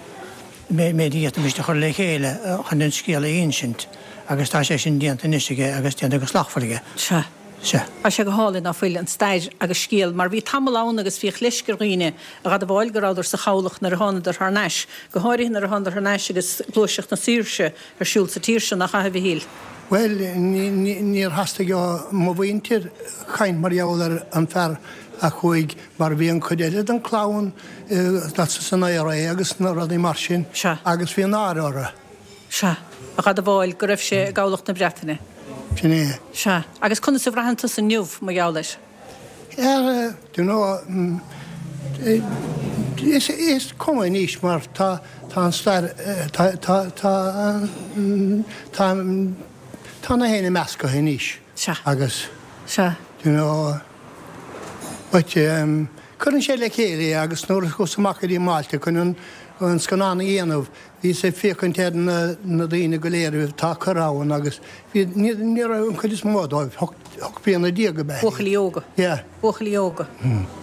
S11: méid a d'fhéadfaimis a chur le chéile chun an scéal a insint agus tá sé sin déanta anois aige agus déanta go slachtmhar aige.
S1: Sea.
S11: Sea.
S1: Tá sé go hálainn, ná fuil, an stair agus scéal, mar bhí tamall ann agus bhíodh leisce ar dhaoine a dh'admháil go rabhadar sa chabhlach nuair a thánadar thar n-ais, go háirithe nuair a thánadar thar n-ais agus Gluaiseacht na Saoirse ar siúl sa tír seo, nach ea, a Mhichíl?
S9: Bhuel, níor theastaigh ó mo mhuintir caint mar gheall ar an fear. Ach chuaigh, mar bhí an chuid eile den chlann san IRA agus na rudaí mar sin agus bhí náire orthu.
S1: Sea. A dh'admháil go raibh sé i gCabhlach na Breataine.
S9: Sin é.
S1: Sea. Agus conas a bhraitheann tusa inniu mar gheall air?
S9: Ar, do you know, is, is cuma anois mar tá, tá an stair, tá, tá, tá, tá, tá na héinne measctha anois.
S1: Sea.
S9: Agus.
S1: Sea.
S9: Do you know, but cuireann sé le chéile é agus nuair a chuas amach go dtí Málta chun an, an scannán a dhéanamh, Bhíos ag féachaint ar na daoine go léir atá curtha ann agus bhí, ní raibh an chuid is mó dóibh, 18 bliana ab ea.
S1: Buachaillí óga.
S9: Yeah.
S1: Buachaillí óga.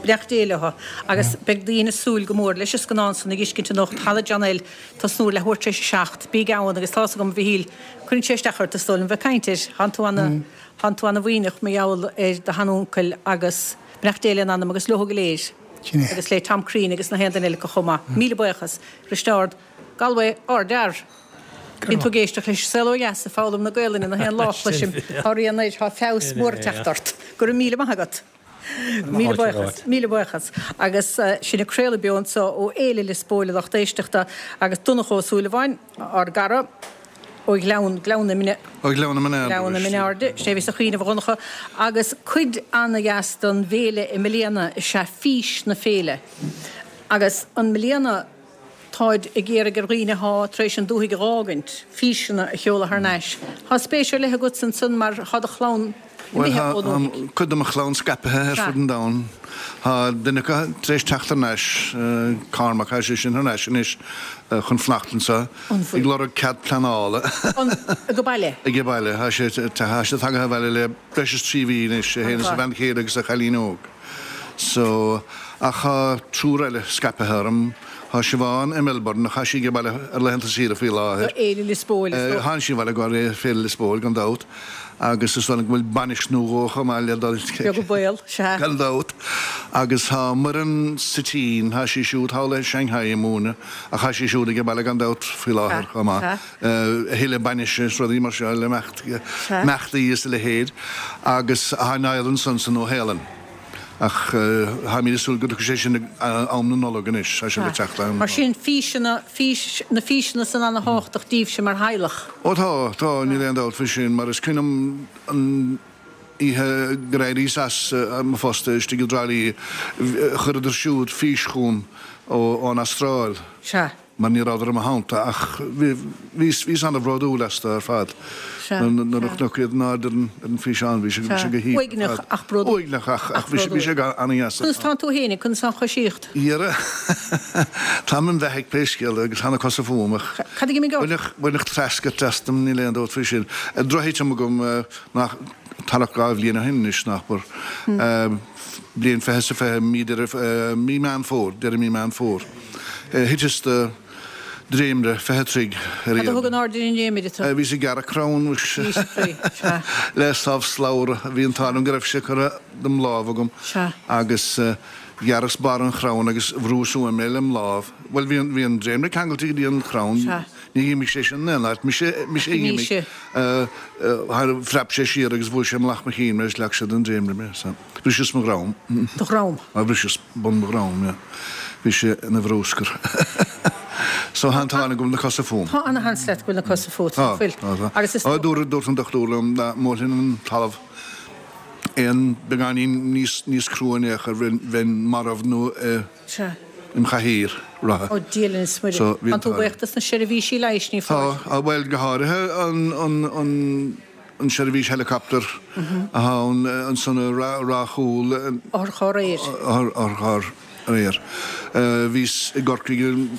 S1: Beannacht Dé leo. Agus beidh daoine ag súil go mór leis an scannán san a dh'fheiscint anocht, Halla John L, tosnú ar leathuair tar éis a 7. Bígí ann agus tá's agam, a Mhichíl, cuireann sé isteach ort is dóigh liom bheith ag caint air. Thánn tú ana, thánn tú ana mhuiníneach mar gheall ar do sheanuncail agus beannacht Dé lena anam agus leo go léir.
S9: Sin é.
S1: Agus le Tom Crean agus na haon duine eile acu chomh maith. Míle buíochas. Risteárd, Galway, ardfhear. Bíonn tú ag éisteacht leis An Saol Ó Dheas ag foghlaim na Gaolainne na haon lá, cloisim. Tá rian air, tá feabhas mór ag teacht ort. Go raibh míle maith agat. Míle buíochas, míle buíochas. Agus sinn ag craoladh beo anseo ó Fhéile Lios Póil a lucht éisteachta agus Donncha Ó Súilleabháin, ár gcara ó Ghleann, Gleann na Mine,
S12: Ó Ghleann na Mine
S1: Gleann na Mine Airde, sin é a bhíos ag cuimhneamh a Dhonncha, agus cuid ana-dheas den bhféile i mbliana is ea fís na féile. Agus i mbliana táid ag iarraidh ar dhaoine athá tar éis an dúthaigh a dh'fhágaint, físeanna a sheoladh thar n-ais. Thá spéis ar leith agatsa ansan mar thá do chlann
S12: Bhuel,
S1: imithe
S12: tá
S1: ón ndúthaigh.
S12: cuid de mo chlann scaipthe ar
S1: Sea.
S12: fud an domhain. Tá duine acu tar éis teacht thar n-ais, Cormac, tá sé sin thar n-ais anois chun fanacht anseo,
S1: An
S12: ag
S1: bhfuil?
S12: lorg cead pleanála.
S1: An, age baile?
S12: Age baile. Tá sé, tá sé tagtha abhaile le breis is 3 mhí anois, é féin is a bhean chéile agus a chailín óg. So, ach tá triúr eile scaipthe orm. Tá Siobhán i Melbourne, ach tá sí age baile ar laethanta saoire faoi láthair.
S1: Do Fhéile Lios Póil, is dócha.
S12: Tánn sí abhaile go Féile Lios Póil, gan dabht. Agus is dóigh liom go bhfuil bainis nó dhó chomh maith le dul.
S1: Beag an baol, sea.
S12: Gan dabht. Agus tá Muireann sa tSín, tá sí siúd thall i Shanghai ag múineadh, ach tá sí siúd age baile gan dabht faoi láthair chomh maith. A thuilleadh bainise is rudaí mar seo le imeachtaí is a leithéid. Agus tá Niall ansan sa Nua-Shéalainn. Ach táimid ag súil go dtiocfaidh sé sin ag am na Nollag anois, tá sé le teacht am.
S1: Mar sin, físeanna, fís, na físeanna san ana-thábhachtach daoibhse mar theaghlach.
S12: Ó tá, tá, níl aon dabht faoi sin, mar is cuimhin liom an oíche gur éiríos as mo phost istigh i dTrá Lí, chuireadar siúd fís chugam ón Astráil.
S1: Sea.
S12: mar ní rabhadar i mo theannta ach bhíos, bhíos ana-bhródúil astu ar fad nuair a chonac iad in airde ar an físeán, bhí sé, bhí sé go haoibhinn ar fad.
S1: Uaigneach ach bródúil.
S12: Uaigneach ach, ach bhí sé, bhí sé ana-dheas ar
S1: Conas
S12: fad.
S1: tánn tú fhéinig, conas tá an choisíocht?
S12: Dhera, táim im bheathaidh pé scéal é agus tá na cosa fúm ach
S1: Cad a d'imigh ort?
S12: baineadh, baineadh treascairt astam, níl aon dabht faoi sin. Drochthitim agam nach, thart 2 bhliain ó shin anois, nach bur. Bliain 20 is a 20, mí Deireadh, mí Meán Fómhair, deireadh mí Meán Fómhair. Thiteas de dhréimire 20 troigh ar
S1: Cad a thug in airde ar an ndréimire tú?
S12: Bhíos ag gearradh crann muis.
S1: Bhís ag faoi, sea.
S12: Le sábh slabhra. Bhí an t-ádh liom go raibh sé curtha dem lámh agam.
S1: Sea.
S12: Agus ghearras barr an chrann agus bhrúas uaim é lem lámh. Bhuel, bhí an, bhí an dréimire ceangailte go dtí an crann.
S1: Sea.
S12: Ní dh'imigh sé sin in aon áit. Mise, mise a
S1: Ach
S12: dh'imigh. Phreab sé siar agus bhuail sé mullach mo chinn mé agus leag sé den dréimire mé. So. Bhriseas mo dhrom.
S1: Do dhrom?
S12: Á, bhriseas bun mo dhrom, yeah. Bhí sé ina bhrúscar. So tá an t-ádh liom go bhfuil na cosa fúm.
S1: Tá ana-sheans leat go bhfuil na cosa fút,
S12: Tá,
S1: nach bhfuil?
S12: tá, tá.
S1: Agus is
S12: Á, dúirt, dúirt an dochtúir liom dá mbuailfinn an talamh aon beagáinín níos, níos crua in aon chor, bheinn, bheinn marbh nó i,
S1: Sea.
S12: im chathaoir rotha.
S1: Ó, Dia linn is Muire.
S12: So, bhí an
S1: Tá tú
S12: t-ádh liom.
S1: buíoch dos na seirbhísí leighis, ní
S12: Tá,
S1: foláir?
S12: á, bhuel, go háirithe an, an, an, an seirbhís helicopter atá ann ansan i Ráth Chúil.
S1: Otharcharr aeir.
S12: Otharcharr aeir. Bhíos i gCorcaigh i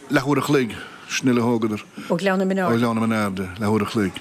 S12: leathuair a chloig, sin uile a thógadar.
S1: Ó Ghleann na Mine
S12: Ó
S1: Airde.
S12: Ghleann na Mine Airde, leathuair a chloig.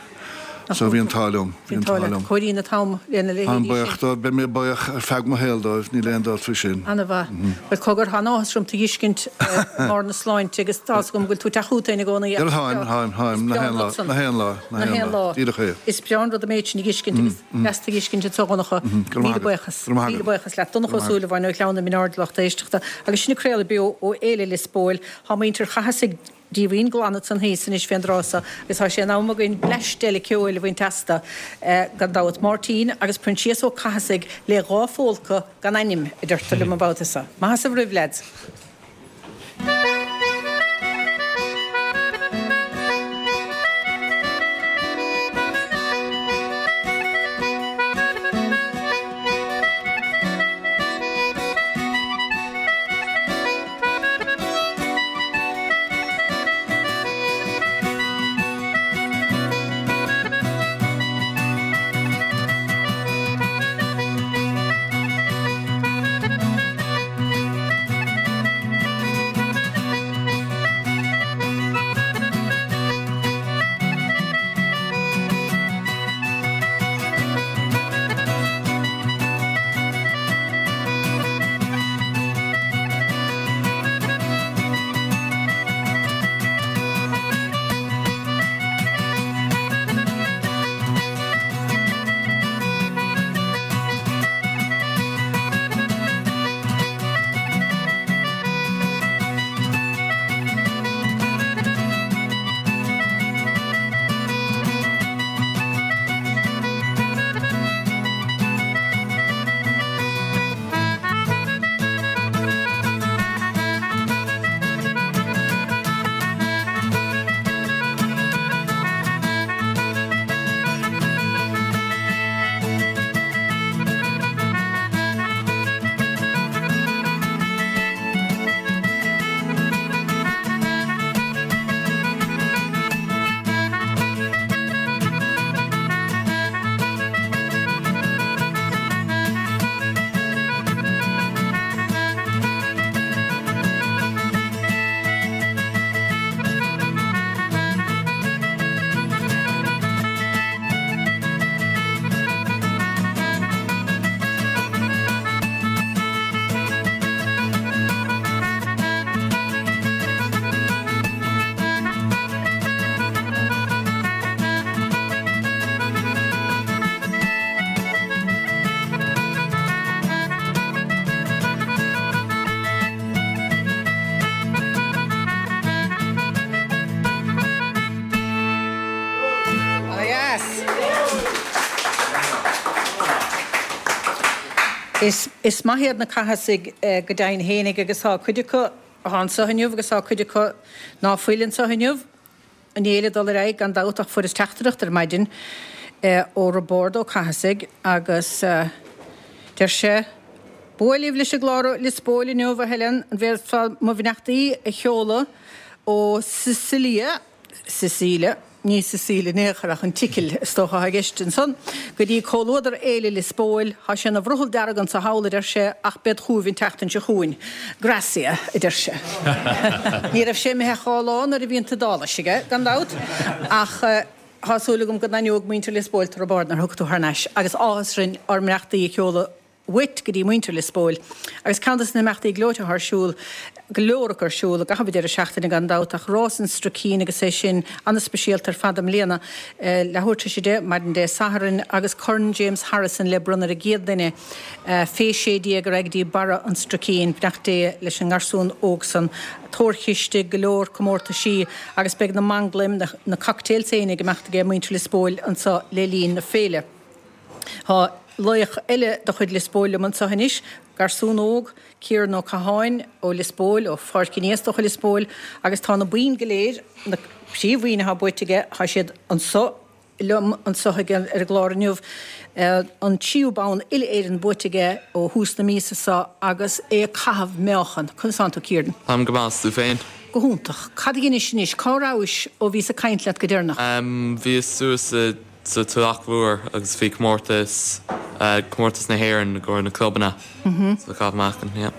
S12: So bhí an t-ádh liom.
S1: Bhí an t-ádh leat. Cóiríonn an t-am lena leithéidí
S12: Táim
S1: sin.
S12: buíoch dóibh, beidh mé buíoch ar feadh mo shaoil dóibh, níl aon dabht faoi sin.
S1: Ana-mhaith. Bhuel, cogar, tá an-áthas orm tú a dh'fheiscint i mbarr na sláinte agus tá's agam go bhfuil tú ag teacht chugat féin i gcónaí ach
S12: Táim, táim, táim, na haon lá, na haon lá,
S1: na haon lá.
S12: Díreach é.
S1: Is breá an rud an méid sin a dh'fheiscint agus deas tú a dh'fheiscint anseo a Dhonncha. Míle buíochas. Míle buíochas leat. Donncha Ó Súilleabháin ó Ghleann na Mine Airde lucht éisteachta agus sinn ag craoladh beo ó Fhéile Lios Póil. Tá muintir Chathasaigh. Díomhaoin glan ansan thíos anois fén dtráth so agus tá sé in am againn bleaist eile ceoil a bhaint astu, gan dabht. Máirtín agus Proinsias Ó Cathasaigh le 2 phólca gan ainm, a deirtear liom an babhta so. Maith as an roimh, leaids. Is maith iad na Cathasaigh go deimhin fhéinig agus tá cuid acu atá anseo inniu agus tá cuid acu ná fuil anseo inniu. An fhéile ag dul ar aghaidh gan dabht ach fuaireas teachtaireacht ar maidin ó Roibeárd Ó Cathasaigh agus deir sé, B'fhuath libh leis an gclár ó Lios Póil inniu, a Helen, an bhféadfá mo bheannachtaí a sheoladh ó Sicilia? Sicília, ní Sicília in aon chor ach an tSicil is dócha atá i gceist ansan, go dtí comhluadar Fhéile Lios Póil, tá sé ina bhrothall dearg anso thall, a deir sé, ach bead chugaibh an tseachtain seo chugainn. Grazie, a deir sé. Ní raibh sé imithe ach 2 lá nuair a bhí an tIodáilis aige, gan dabht, ach tá súil agam go n-aithneoidh muintir Lios Póil tú a Roibeaird nuair a thiocfaidh tú thar n-ais agus áthas orainn ár mbeannachtaí a sheoladh uait go dtí muintir Lios Póil. Agus ceann de na himeachtaí gleoite atá ar siúl, go leor acu ar siúl i gcaitheamh an deireadh seachtaine gan dabht, ach Rás an Struicín agus é sin an-speisialta ar fad i mbliana, leathuair tar éis 10, maidin Dé Sathairn, agus Corn James Harrison le bronnadh ar an gcéad duine fé 16 a raghaidh go dtí barra an Struicín. Beannacht Dé leis an ngarsún óg san. Tórchiste, go leor comórtaisí agus beidh na manglaim, na cocktails féin ag imeacht aige muintir Lios Póil anso le linn na féile. Tá laoch eile de chuid Lios Póil liom anseo anois, garsún óg, Ciaran Ó Catháin ó Lios Póil, ó Pháirc an Fhiaigh is dócha Lios Póil, agus tá na boinn go léir, na príomhbhoinn atá buaite aige, tá siad anseo liom anseo ar an gclár inniu. An tríú bonn uile-Éireann buaite aige ó thús na míosa seo agus é ag caitheamh meáchan. Conas tánn tú, Ciaran?
S13: Táim go maith, 's tú féin?
S1: Go hiontach. Cad a dheinis anois? Cá rabhais ó bhíos ag caint leat go deireanach?
S13: Bhíos suas i sa Tulach Mhór agus bhí comórtas, comórtas na hÉireann i gcomhair na clubanna sa chaitheamh meáchain, yeah.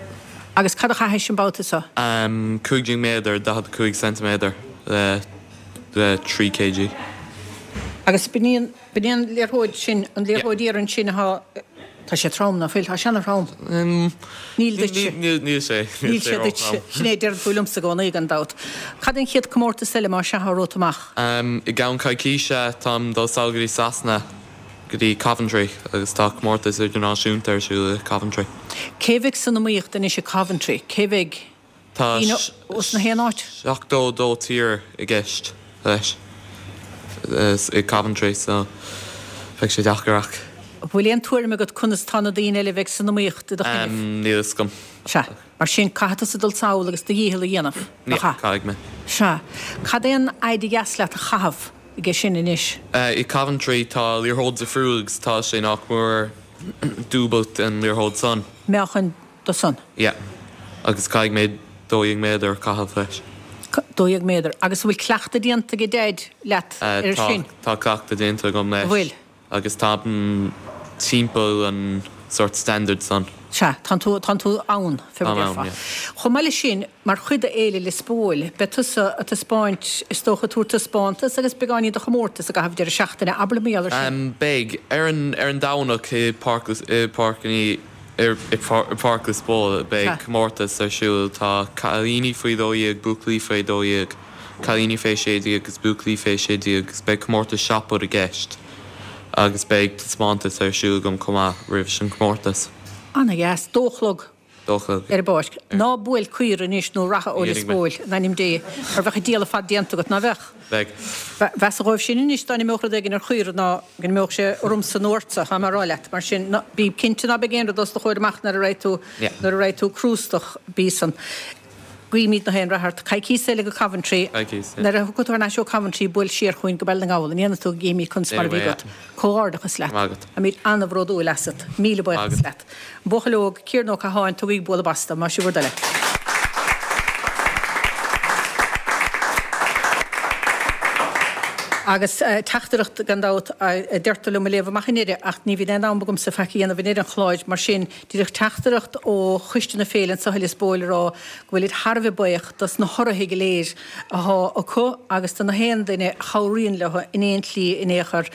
S1: Agus cad a chaithis an babhta seo?
S13: 15 méadar, 45 ceintiméadar le 3 kg.
S1: Agus b'in í an, b'in í an liathróid sin, an liathróid iarainn sin atá, Tá sé trom, ná fuil? Tá sé ana-throm. Níl duitse.
S13: Níl sé.
S1: Níl sé duitse. Sin é a deireann tú liomsa i gcónaí, gan dabht. Cad é an chéad comórtas eile, más ea, atá romhat amach?
S13: I gceann coicíse, táim dul sall go dtí Sasana, go dtí Coventry, agus tá comórtas idirnáisiúnta ar siúl i Coventry.
S1: Cé bheidh san iomaíocht anois i Coventry? Cé bheidh?
S13: Tá
S1: Daoine ós na haon áit.
S13: 72 tír i gceist leis i Coventry so beidh sé deacair ach.
S1: An bhfuil aon tuairim agat conas tá na daoine eile a bheidh san iomaíocht i do choinnibh?
S13: Níl fhios agam.
S1: Sea. Mar sin, caithfidh tusa dul sall agus do dhícheall a dhéanamh, nach ea?
S13: Caithfidh mé.
S1: Sea. Cad é an fhaid a dheas leat a chaitheamh aige sin anois?
S13: I Coventry tá liathróid difriúil agus tá sé nach mór dúbailt an liathróid san.
S1: Meáchan do san?
S13: Yeah. Agus caithfidh mé 12 méadar a chaitheamh leis.
S1: 12 méadar. Agus an bhfuil cleachtadh déanta ag Daid leat ar sin?
S13: Tá cleachtadh déanta agam leis.
S1: An bhfuil?
S13: Agus táim timpeall an sórt standard san.
S1: Sea, tánn tú, tánn tú ann, fé mar
S13: Táim ann,
S1: déarfá.
S13: yeah.
S1: Chomh maith leis sin, mar chuid de Fhéile Lios Póil, beidh tusa ag taispeáint, is dócha, ag tabhairt taispeántas agus beagáinín de chomórtas i gcaitheamh deireadh seachtaine. Abair liom mar gheall ar sin.
S13: Beidh. Ar an, ar an Domhnach i Páirc, i Páirc an Uí, i Páirc Lios Póil, beidh comórtas ar siúl. Tá cailíní faoi 12, buachaillí faoi 12. cailíní fé 16 agus buachaillí fé 16 agus beidh comórtas shot put i gceist agus beidh taispeántas ar siúl agam chomh maith roimh an chomórtas.
S1: Ana dheas. Dó a chlog.
S13: Dó a chlog.
S1: Ar an bpáirc. Ná buail caora anois nó reatha ó Lios Póil, in ainm Dé, mar bheadh an diabhal ar fad déanta agat, ná bheadh?
S13: Bheadh.
S1: Mheasa dhóibh sin anois dá n-imeodh rud éigin ar chaora ná go n-imeodh sé ormsa nó ortsa, tá mé a rá leat. Mar sin, ná, bí cinnte ná beidh aon rud os do chomhair amach nuair a raghaidh tú, nuair a raghaidh tú crústach, bí san. Guímid na haon rath ort. Coicíos eile go Coventry.
S13: Coicíos, yeah.
S1: Nuair a thiocfaidh tú thar n-ais ó Coventry, buail siar chugainn go Baile na nGall. An ndéanfaidh tú go gcífimid conas mar a bhí agat. Comhghairdeachas leat.
S13: Maith agat.
S1: Táimid an-bhródúil asat. Míle buíochas leat. An buachaill óg, Ciarán Ó Catháin, tugaigí bualadh bos dó, más é bhur dtoil é. Agus teachtaireacht, gan dabht, a deirtear liom a léamh amach i ndeireadh, ach ní bhíonn aon am agamsa faic a dhéanamh i ndeireadh an chláir, mar sin, Díreach teachtaireacht ó choiste na féile anseo i Lios Póil a rá go bhfuilid thar a bheith buíoch dos na hurraithe go léir athá acu agus do na haon duine a chabhraíonn leo in aon tslí in aon chor.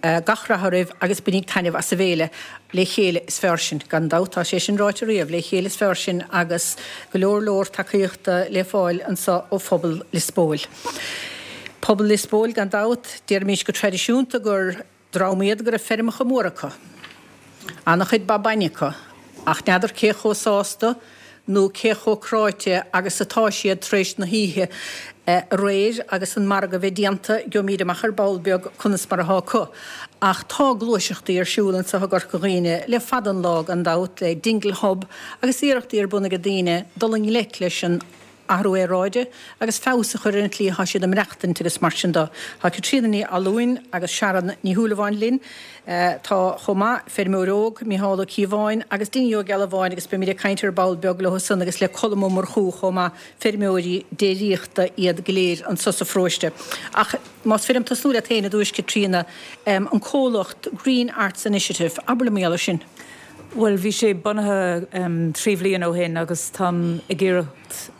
S1: Gach rath oraibh agus bainíg taitneamh as an bhféile. Le chéile is fearr sinn. Gan dabht, tá sé sin ráite riamh, le chéile is fearr sinn agus go leor leor tacaíochta le fáil anseo ó phobal Lios Póil. Pobal Lios Póil gan dabht, déarfaimis go traidisiúnta gur. Dream iad go raibh feirmeacha móra acu. Ana-chuid ba bainne acu, ach n'fheadar cé chomh sásta nó cé chomh cráite agus atá siad tar éis na hoíche aréir agus an margadh bheith déanta, gheobhaimid amach ar ball beag conas mar athá acu. Ach tá gluaiseachtaí ar siúl anseo i gCorca Dhuibhne le fada an lá gan dabht, le Dingle Hub agus iarrachtaí ar bun ag daoine dul i ngleic leis an athrú aeráide agus feabhas a chur ar an tslí atá siad ag maireachtaint agus mar sin de. Tá Caitríona Ní Fhallúin agus Sharon Ní Shúilleabháin linn. Tá chomh maith, feirmeoir óg, Mícheál Ó Cíobháin agus Dinny Ó Gealbháin agus beimid ag caint ar ball beag leo san agus le Colm Ó Murchú chomh maith, feirmeoirí déiríochta iad go léir anso sa pharóiste. Ach más féidir liom tosnú leat féin i dtús, Caitríona, an comhlacht Green Arts Initiative, abair liom mar gheall air sin.
S8: Bhuel, bhí sé bunaithe 3 bhliain ó shin agus táim ag iarracht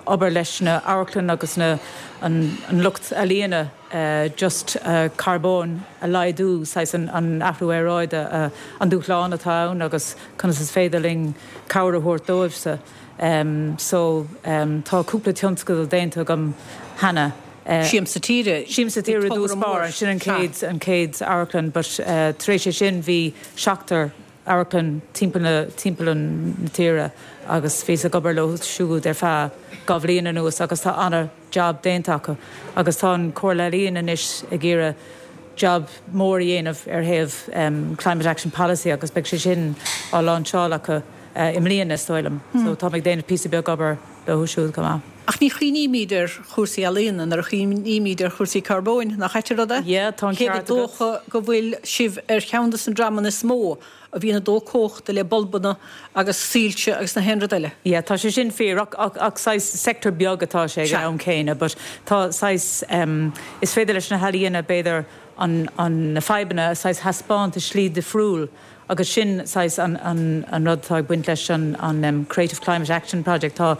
S8: obair leis na amharclann agus na an lucht ealaíona just carbón a laghdú, saghas an athrú aeráide, an dúshlán atá ann agus conas is féidir linn cabhair a thabhairt dóibhse. So tá cúpla tionscadal déanta agam cheana.
S1: Siamsa Tíre.
S8: Siamsa Tíre i dtús báire, sin an chéad an chéad amharclann but tar éis é sin bhí seachtar amharclann timpeall na timpeall na tíre agus bhíos ag obair leo siúd ar feadh 2 bhliain anuas agus tá ana jab déanta acu agus tá an Comhairle Ealaíon anois ag iarraidh jab mór a dhéanamh ar thaobh Climate Action Policy agus beidh sé sin á láinseáil acu i mbliana is dóigh liom. So táim ag déanamh píosa beag obair leo siúd chomh maith.
S1: Ach ní chuimhnímid ar chúrsaí ealaíona nuair a chuimhnímid ar chúrsaí carbóin, nach ait an rud é?
S8: Yeah, tá an
S1: Cé gur
S8: ceart agat.
S1: dócha go bhfuil sibh ar cheann de na dreamanna is mó a bhíonn ag dó cumhachta le bulbanna agus soilse agus na haon rud eile.
S8: Yeah, tá sé sin fíor, ach, ach, ach saghas sector beag atá sé ag an am céanna, but tá saghas, em, is féidir leis na healaíona b'fhéidir an, an, na fadhbanna a saghas thaispeáint i slí difriúil Agus sin saghas an an rud atá ag baint leis an an Creative Climate Action Project. Tá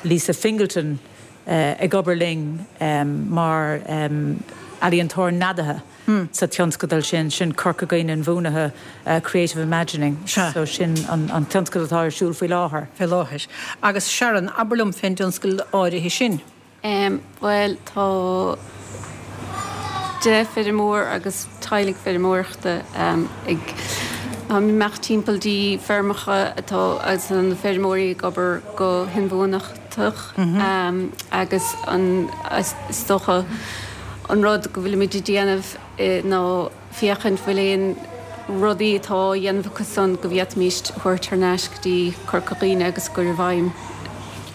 S8: Lisa Fingleton ag obair linn mar ealaíontóir neadaithe sa tionscadal sin, sin Corca Dhuibhne Inbhuanaithe Creative Imagining. So sin an tionscadal atá ar siúl faoi láthair.
S1: Faoi láthair. Agus Sharon, abair liom fén dtionscadal áirithe sin.
S14: Bhuel, tá 10 feirmeoir agus teaghlaigh feirmeoireachta ag imeacht timpeall dtí feirmeacha atá agus na feirmeoirí ag obair go hinbhuanach. iontach agus an is dócha an rud go bhfuilimid ag déanamh ná féachaint bhfuil aon rudaí atá á dhéanamh acu san go bhféadfaimíst a thabhairt thar n-ais go dtí Corca Dhuibhne agus a gcur i bhfeidhm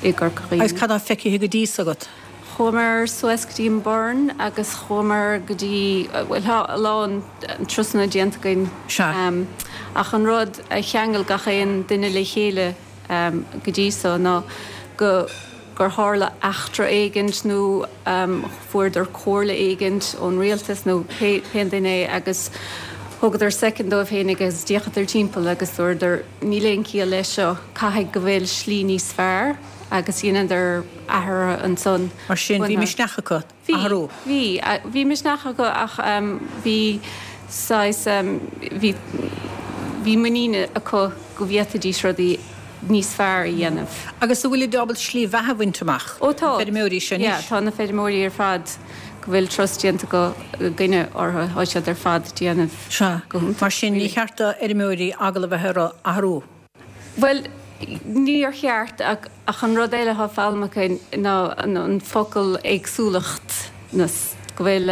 S14: i gCorca Dhuibhne.
S1: Agus cad tá feicthe go dtí so agat?
S14: Chuamar suas go dtí an Burren agus chuamar go dtí, bhuel tá a lán turasanna déanta againn.
S1: Sea.
S14: Ach an rud a cheangail gach aon duine le chéile go dtí so ná go gur tharla eachtra éigint nó fuaireadar comhairle éigint ón rialtas nó pé duine é agus thugadar soicind dóibh féinig agus d'fhéachadar timpeall agus dúradar níl aon chiall leis seo, caithfidh go bhfuil slí níos fearr agus dheineadar athruithe ansan.
S1: Mar sin, bhí misneach acu athrú.
S14: Bhí, bhí. Bhí misneach acu ach bhí saghas, bhí, bhí muinín acu go bhféadfaidís rudaí níos fearr a dhéanamh.
S1: Agus an bhfuilid ábalta slí bheatha a bhaint amach?
S14: Ó tá.
S1: Na feirmeoirí seo anois?
S14: Yeah, tá na feirmeoirí ar fad go bhfuil turas déanta againne orthu, tá siad ar fad ag déanamh
S1: go hiontach. Mar sin, ní cheart do fheirmeoirí eagla a bheith orthu athrú?
S14: Bhuel, níor cheart ach an rud eile atá foghlamtha againn ná an focal éagsúlacht, go bhfuil,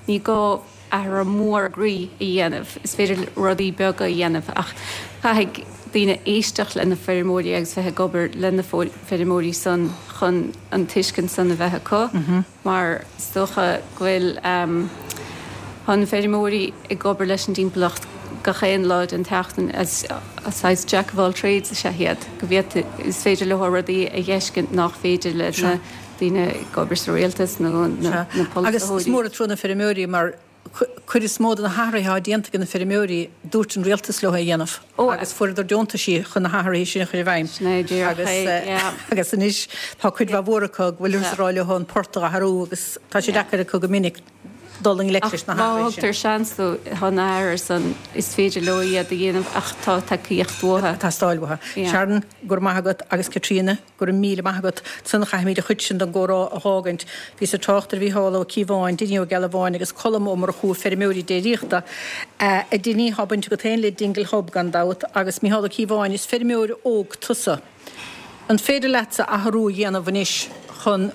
S14: ní gá athrú mór groí a dhéanamh, is féidir rudaí beaga a dhéanamh ach caithfidh daoine éisteacht le na feirmeoirí agus bheith ag obair le na feirmeoirí san chun an tuiscint san a bheith acu. mar is dócha go bhfuil tá na feirmeoirí ag obair leis an dtimpeallacht gach aon lá den tseachtain as saghas jack of all trades is ea iad, go bhféadfaí, is féidir leo rudaí a dh'fheiscint nach féidir le na daoine ag obair sa rialtas nó na
S1: polaiteoirí. Agus is mór an trua na feirmeoirí mar cuid is mó de na hathruithe atá déanta ag na feirmeoirí, dúirt an rialtas leo é a dhéanamh agus fuaireadar deontaisí chun na hathruithe sin a chur i
S14: bhfeidhm.
S1: Agus anois tá cuid mhaith mhór acu go bhfuilthear ag rá leo an port a athrú agus tá sé deacair acu go minic dul i ngleic leis na
S14: hathruithe sin. Má
S1: thugtar
S14: seans dóibh, tá na hathruithe san, is féidir leo iad a dhéanamh ach tá tacaíocht uathu.
S1: Ag teastáil uathu. Sharon, go raibh maith agat agus Caitríona. Go raibh míle maith agat. Ansan caithfimid an chuid sin den gcomhrá a dh'fhágaint. Bhíos ag trácht ar Mhícheál Ó Cíobháin, Dinny Ó Gealbháin agus Colm Ó Murchú, feirmeoirí déiríochta. A Dinny, thá baint agat féin le Dingle Hub gan dabht, agus Mícheál Ó Cíobháin, is feirmeoir óg tusa. An féidir leatsa athrú a dhéanamh anois chun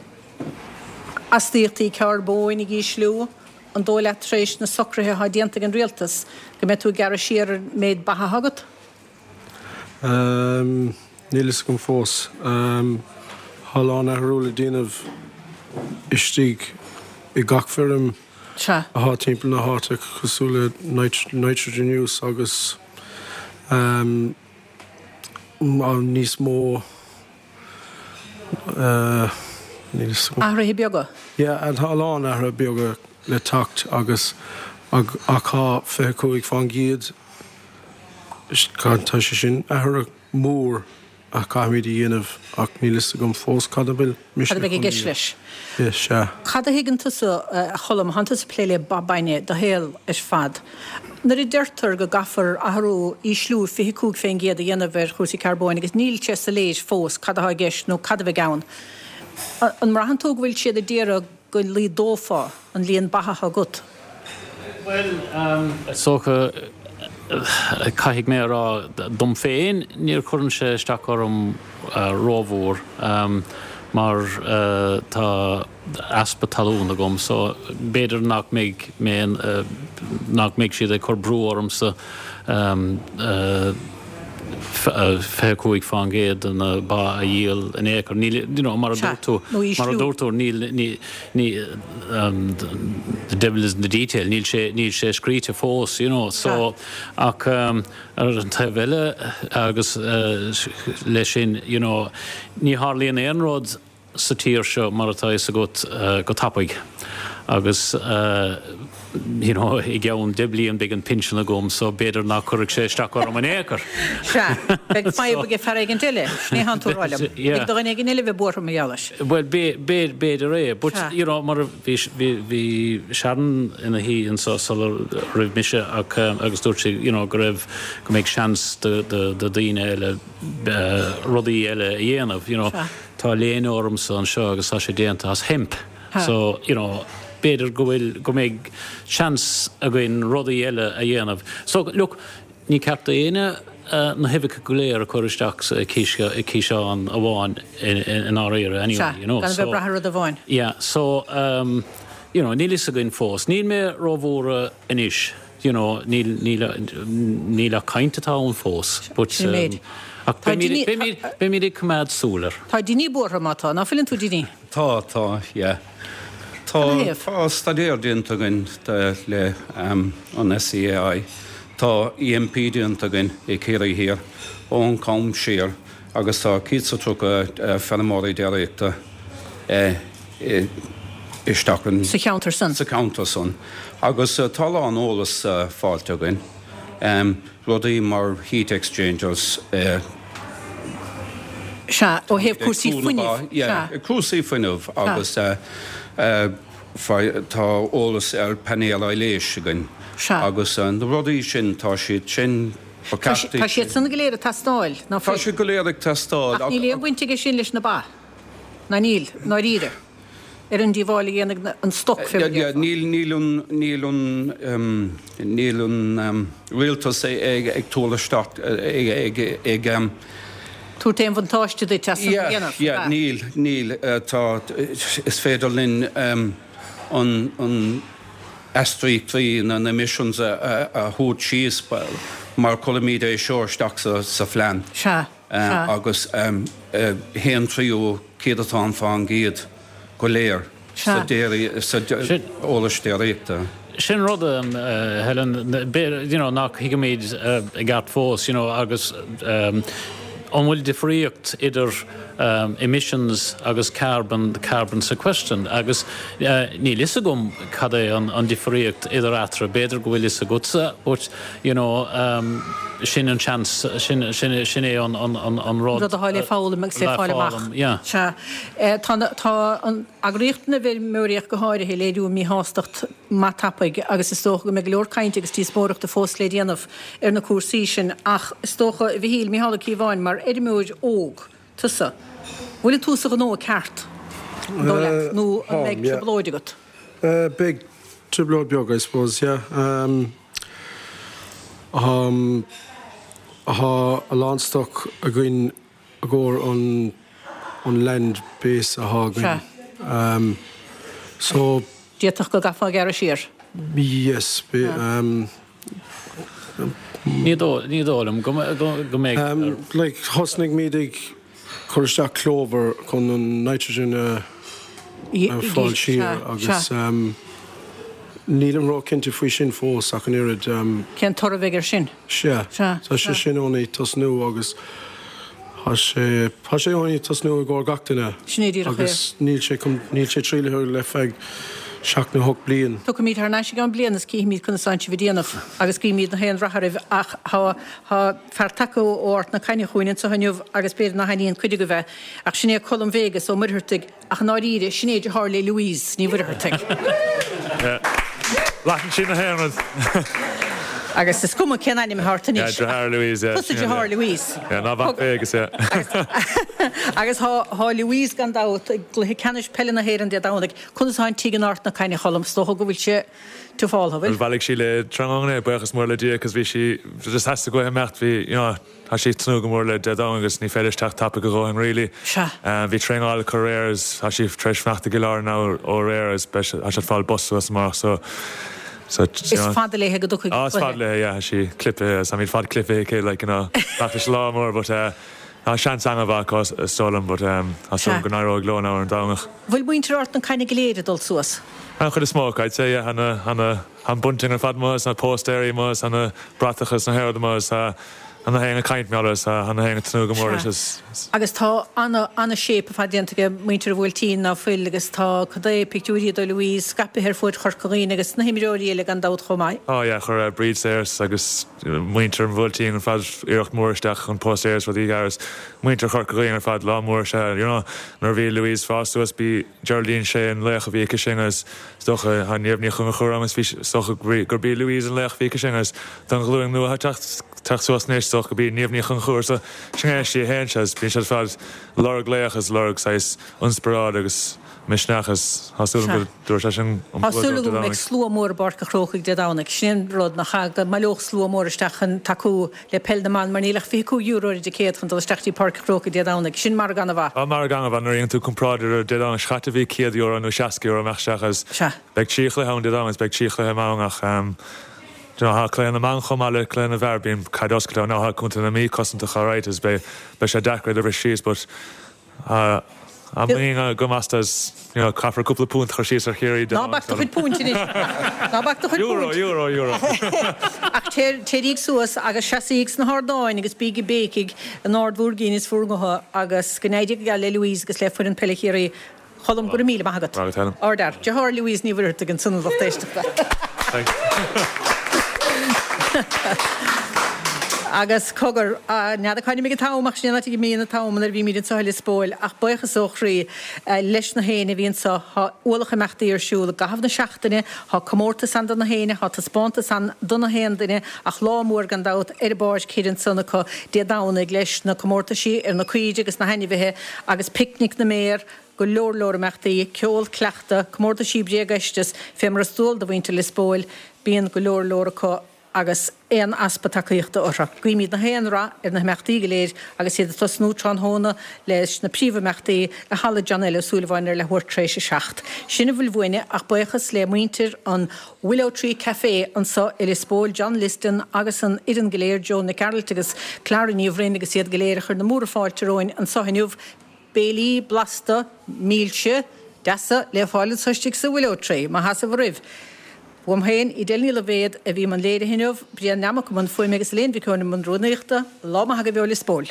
S1: astaíochtaí carbóin a dh'ísliú? An dóigh leat tar éis na socruithe atá déanta ag an rialtas go mbeidh tú ag gearradh siar ar an méid ba atá agat?
S15: Níl fhios agam fós. Tá a lán athrú le déanamh istigh i gach feirm atá timpeall na háite cosúil le nitrogen use agus níos mó níl fhios
S1: agam. Athruithe beaga?
S15: Yeah, tá a lán athruithe beaga le teacht agus ach tá 25%. Tá sé sin athrú mór a chaithfimid a dhéanamh ach níl fhios agam fós cad a bhfuil
S1: mise Cad a bheidh i gceist leis?
S15: Yeah, sea.
S1: Cad a thuigeann tusa, a Choilm, thánn tusa ag plé le ba bainne do shaol ar fad. Nuair a deirtear go gcaithfear athrú, ísliú 25% a dhéanamh ar chúrsaí carbóin agus níl sé soiléir fós cad atá i gceist nó cad a bheidh ann, an mbraitheann tú go bhfuil siad ag iarraidh go laghdófá an líon ba atá agat?
S16: Bhuel, is dócha, caithfidh mé a rá, dom féin, níor chuireann sé isteach orm rómhór mar tá easpa talún agam so b'fhéidir nach mbeidh mé, nach mbeidh siad ag cur brú ormsa 25% de na ba a dhíol in aon chor. Níl, you know, mar a dúirt tú, mar a dúirt tú, níl, ní, ní, the devil is in the detail, níl sé, níl sé scríte fós, you know, so, ach ar an taobh eile agus leis sin, you know, ní tharlaíonn aon rud sa tír seo, mar atá a fhios agat, go tapaidh. Agus you know, i gceann 10 bliain beidh an pinsean agam so b'fhéidir nach cuirfidh sé isteach orm in aon chor.
S1: Sea, beidh fadhb ag fear éigint eile, sin é thánn tú a rá liom. Beidh do dhuine éigin eile a bheith buartha mar gheall air.
S16: Bhuel, b'fhéidir é, but you know, mar a bhí, bhí Sharon ina shuí anso sula raibh mise ach agus dúirt sí you know, go raibh, go mbeidh seans do daoine eile rudaí eile a dhéanamh, you know. Tá léine ormsa anseo agus tá sé déanta as hemp so, you know, b'fhéidir go bhfuil, go mbeidh seans againn rudaí eile a dhéanamh. So, look, ní ceart d'éinne. na huibheacha go léir a chur isteach sa ciseán amháin i ndáiríre anyway, you know.
S1: Gan a bheith ag brath ar rud amháin.
S16: Yeah, so, you know, níl fhios againn fós. Níl mé róbhuartha anois, you know, níl, níl, níl ach caint atá ann fós, but,
S1: Sin méid.
S16: ach beimid, beimid, beimid ag coimeád súil air.
S1: Tá Dinny buartha má tá, ná fuileann tú Dinny?
S17: Tá, tá, yeah. Tá, tá staidéar déanta againn le an SEAI. Tá EMP déanta againn i Ciarraí Thiar ón am siar agus tá 130 feirmeoirí déiríochta isteach
S1: in. Sa cheantar san.
S17: Sa cheantar san. Agus tá a lán eolas fáilte againn. Rudaí mar heat exchangers.
S1: Sea, ó thaobh cúrsaí fuinnimh.
S17: Sea. Cúrsaí fuinnimh agus tá eolas ar painéil aibhléis againn.
S1: Sea.
S17: Agus na rudaí sin, tá siad sin,
S1: ba cheart. Tá siad san go léir ag teastáil,
S17: ná fuil? Tá siad go léir ag teastáil.
S1: Ach níl aon bhaint aige sin leis na ba, ná níl, i ndáiríre? ar an díobháil a dhéanfaidh an stoc fé mar a déarfá.
S17: Níl, níl an, níl an, níl an rialtas ag tabhairt isteach, ag, ag,
S1: Tabhairt aon bhuntáiste duit as san a dhéanamh,
S17: Yeah, yeah, níl, níl, tá, is féidir linn an, an astaíochtaí, na emissions a, a thabhairt síos mar cuirimid é seo isteach sa, sa phlean.
S1: Sea.
S17: Sea. agus haon tríú céadatán fán gcéad go léir sa eolas déiríochta.
S16: Sin rud, Helen, you know, nach thuigimid i gceart fós, you know, agus an bhfuil difríocht idir emissions agus carbon, carbon sequestration agus níl fhios agam cad é an difríocht idir eatarthu, b'fhéidir go bhfuil fhios agatsa but you know, sin an seans, sin, sin, sin é an, an, an, an
S1: rud. Rud atá le foghlaim agus le fáil amach.
S16: Yeah.
S1: Sea. Tá, tá an eagraíocht na bhfeirmeoirí ach go háirithe ag léiriú míshástacht maith tapaidh agus is dócha go mbeidh go leor cainte agus díospóireachta fós le déanamh ar na cúrsaí sin ach is dócha, a Mhichíl, Micheál Ó Cíobháin, mar fheirmeoir óg, tusa, bhfuil tú sa ghnó ceart, an dóigh leat, nó an mbeidh trioblóid agat?
S15: Beidh trioblóid beag, I suppose, yeah. Tá a lán stoc againn i gcomhair an an land base athá againn. So.
S1: D'fhéadfadh go gcaithfeá gearradh siar.
S15: Yes.
S16: Ní dóigh liom go mbeidh.
S15: Like thosnaigh muid ag cur isteach clover chun an nitrogen a fáil siar agus nílim ró-chinnte faoi sin fós ach an oiread.
S1: Cén toradh a bheidh air sin?
S15: Sea, tá sé sin only tosnú agus tá sé, tá sé only tosnú i gcomhair gach duine.
S1: Sin é díreach é.
S15: Agus níl sé, níl sé trialaithe le feadh seacht nó hocht bliain.
S1: Tiocfaimid thar n-ais i gceann bliana is cífimid conas atánn sibh ag déanamh agus guímid gach aon rath oraibh ach tá, tá fear tagtha ó Ard na Caithne chugainn anseo inniu agus b'fhéidir nach aithníonn cuid agaibh é ach sin é Colm Vegas Ó Muircheartaigh ach i ndáiríre sin é deartháir le Louise Ní Mhuircheartaigh.
S18: Leathann sí na haon rud.
S1: Agus is cuma cén ainm atá ort anois.
S18: Yeah, deartháir Louise, yeah.
S1: Tusa deartháir Louise.
S18: Yeah, ná mhac Vegas, yeah.
S1: Agus tá Louise gan dabht i gcluiche ceannais peile na hÉireann Dé Domhnaigh. Conas atá an tigh in Ard na Caithne, a Choilm? Is dócha go bhfuil sé tiufáltha,
S18: bhfuil? Bhuel, bhailigh sí léi tráthnóna é, buíochas mór le Dia, cos bhí sí, just theastaigh uaithi imeacht, bhí, you know, tá sí ag tnúth go mór le Dé Domhnaigh agus ní féidir teacht tapaidh a dhóthain really.
S1: Sea.
S18: Bhí traenáil acu aréir agus tá sí tar éis fanacht i gCill Airne now ó aréir agus beidh sé, tá siad ag fáil bus suas amárach so, so,
S1: you know. Is fada léithe go dtiocfaidh
S18: an cluiche. Ah, is fada léithe, yeah, tá sí clipithe agus táimid fad clipithe aici, like, you know, ach is lá mór but eh, Tá seans an-mhaith acu is dóigh liom but tá súil agam go n-éireoidh leo now ar an Domhnach.
S1: Bhfuil muintir Ard na Caithne go léir ag dul suas?
S18: An chuid is mó acu, I'd say, yeah. Tá na, tá na, tá an bunting ar fad amuigh is na póstaeirí amuigh is tá na bratacha is na haon rud amuigh is tá, tá na haon ag caint mar is tá, tá na haon ag tnúth go mór leis is.
S1: Agus tá ana, ana-shape ar fad déanta ag muintir an Bhuailtín ná fuil agus tá cad é pictiúirí de Louise scaipthe ar fuaid Chorca Dhuibhne agus na himreoirí eile gan dabht chomh maith.
S18: Oh yeah, chuir Bríd Sayers agus muintir an Bhuailtín ar fad iarracht mhór isteach chun póstaeir is rudaí a ghearradh is muintir Chorca Dhuibhne ar fad lá mór is ea you know nuair a bhí Louise fás suas b'í Geraldine Shea an laoch a bhí aici sin agus is dócha tá Niamh Ní Chonchúir ann agus bhí is dócha gurb í Louise an laoch a bhí aici sin agus don ghlúin nua atá ag teacht suas anois is dócha gurb í Niamh Ní Chonchúir so sin é sí a théann sé is bíonn siad ar fad lorg laoch is lorg saghas ionspioráid agus. misneach is tá súil agam go dtabharfaidh sé sin an
S1: Tá
S18: bua
S1: súil
S18: dóibh Dé
S1: agam go mbeidh
S18: Domhnaigh.
S1: slua mór i bPáirc a' Chrócaigh Dé Domhnaigh. Sin an rud, nach ea, go mbaileodh slua mór isteach chun tacú le peil na mban mar níl ach €25 ar an dticéad chun dul isteach dtí Páirc a' Chrócaigh Dé Domhnaigh. Sin margadh an-mhaith.
S18: Tá margadh an-mhaith nuair a dhéanann tú comparáid ar Dé Domhnaigh seo caite bhí €100 nó €60 amach isteach agus beidh 3 chluiche ann Dé Domhnaigh is beidh 3 chluiche ann ach you know tá cluiche na mban chomh maith le cluiche na bhfear bíonn caid oscailte ann now tá contae na Mí cosantach alright is beidh beidh sé deacair iad a bhris síos but tá muinín agam astu is you know caithfear cúpla punt a chur síos ar Chiarraí
S1: Ná bac do chuid punt anois. Ná bac do chuid
S18: Euro,
S1: punt.
S18: euro, euro.
S1: Ach téiríg suas agus seasaíg sna hardáin agus bíg ag béicigh in ard bhur gcinn is bhur ngutha agus go n-éirí go geal le Louise agus le foireann peile Chiarraí. Colm, go raibh míle maith agat.
S18: Maith agat, Helen.
S1: Ardfhear. Deartháir Louise Ní Mhuircheartaigh ansan a lucht éisteachta. Agus cogar, n'fheadar cá n-imigh an t-am ach sin é an áit a n-imíonn an t-am nuair a bhímid anseo i Lios Póil ach buíochas ó chroí leis na héinne a bhí anseo. Tá ualach imeachtaí ar siúl i gcaitheamh na seachtaine, tá comórtas ann do na héinne, tá taispeántas ann do na haon duine ach lá mór gan dabht ar an bpáirc thoir ansan acu Dé Domhnaigh leis na comórtaisí ar na caoirigh agus na hainmhithe agus picnic na mbéar, go leor leor imeachtaí, ceol, cleachtadh, comórtaisí bréagfheisteas, fé mar is dual do mhuintir Lios Póil, bíonn go leor leor acu agus aon easpa tacaíochta orthu. Guímid na haon rath ar na himeachtaí go léir agus iad ag tosnú tráthnóna leis na príomhimeachtaí i Halla John L. Ó Súilleabháin ar leathuair tar éis 7. Sin a bhfuil uainne ach buíochas le muintir an Willow Tree Café anso i Lios Póil, John Liston agus an fhoireann go léir, Joan Nic Gearailt agus Clara Ní Bhroin agus iad go léir a chuir na múra fáilte romhainn anso inniu. Béilí blasta, milse, deasa le fáil anso istigh sa Willow Tree, má sheasamh oraibh. Uaim féin, Edel Ní Loibhéad, a bhí i mbun léirithe inniu, Brian Nammock i mbun fuaime agus Elaine Mhic Eoin i mbun rúnaíochta. Lá maith agaibh ó Lios Póil.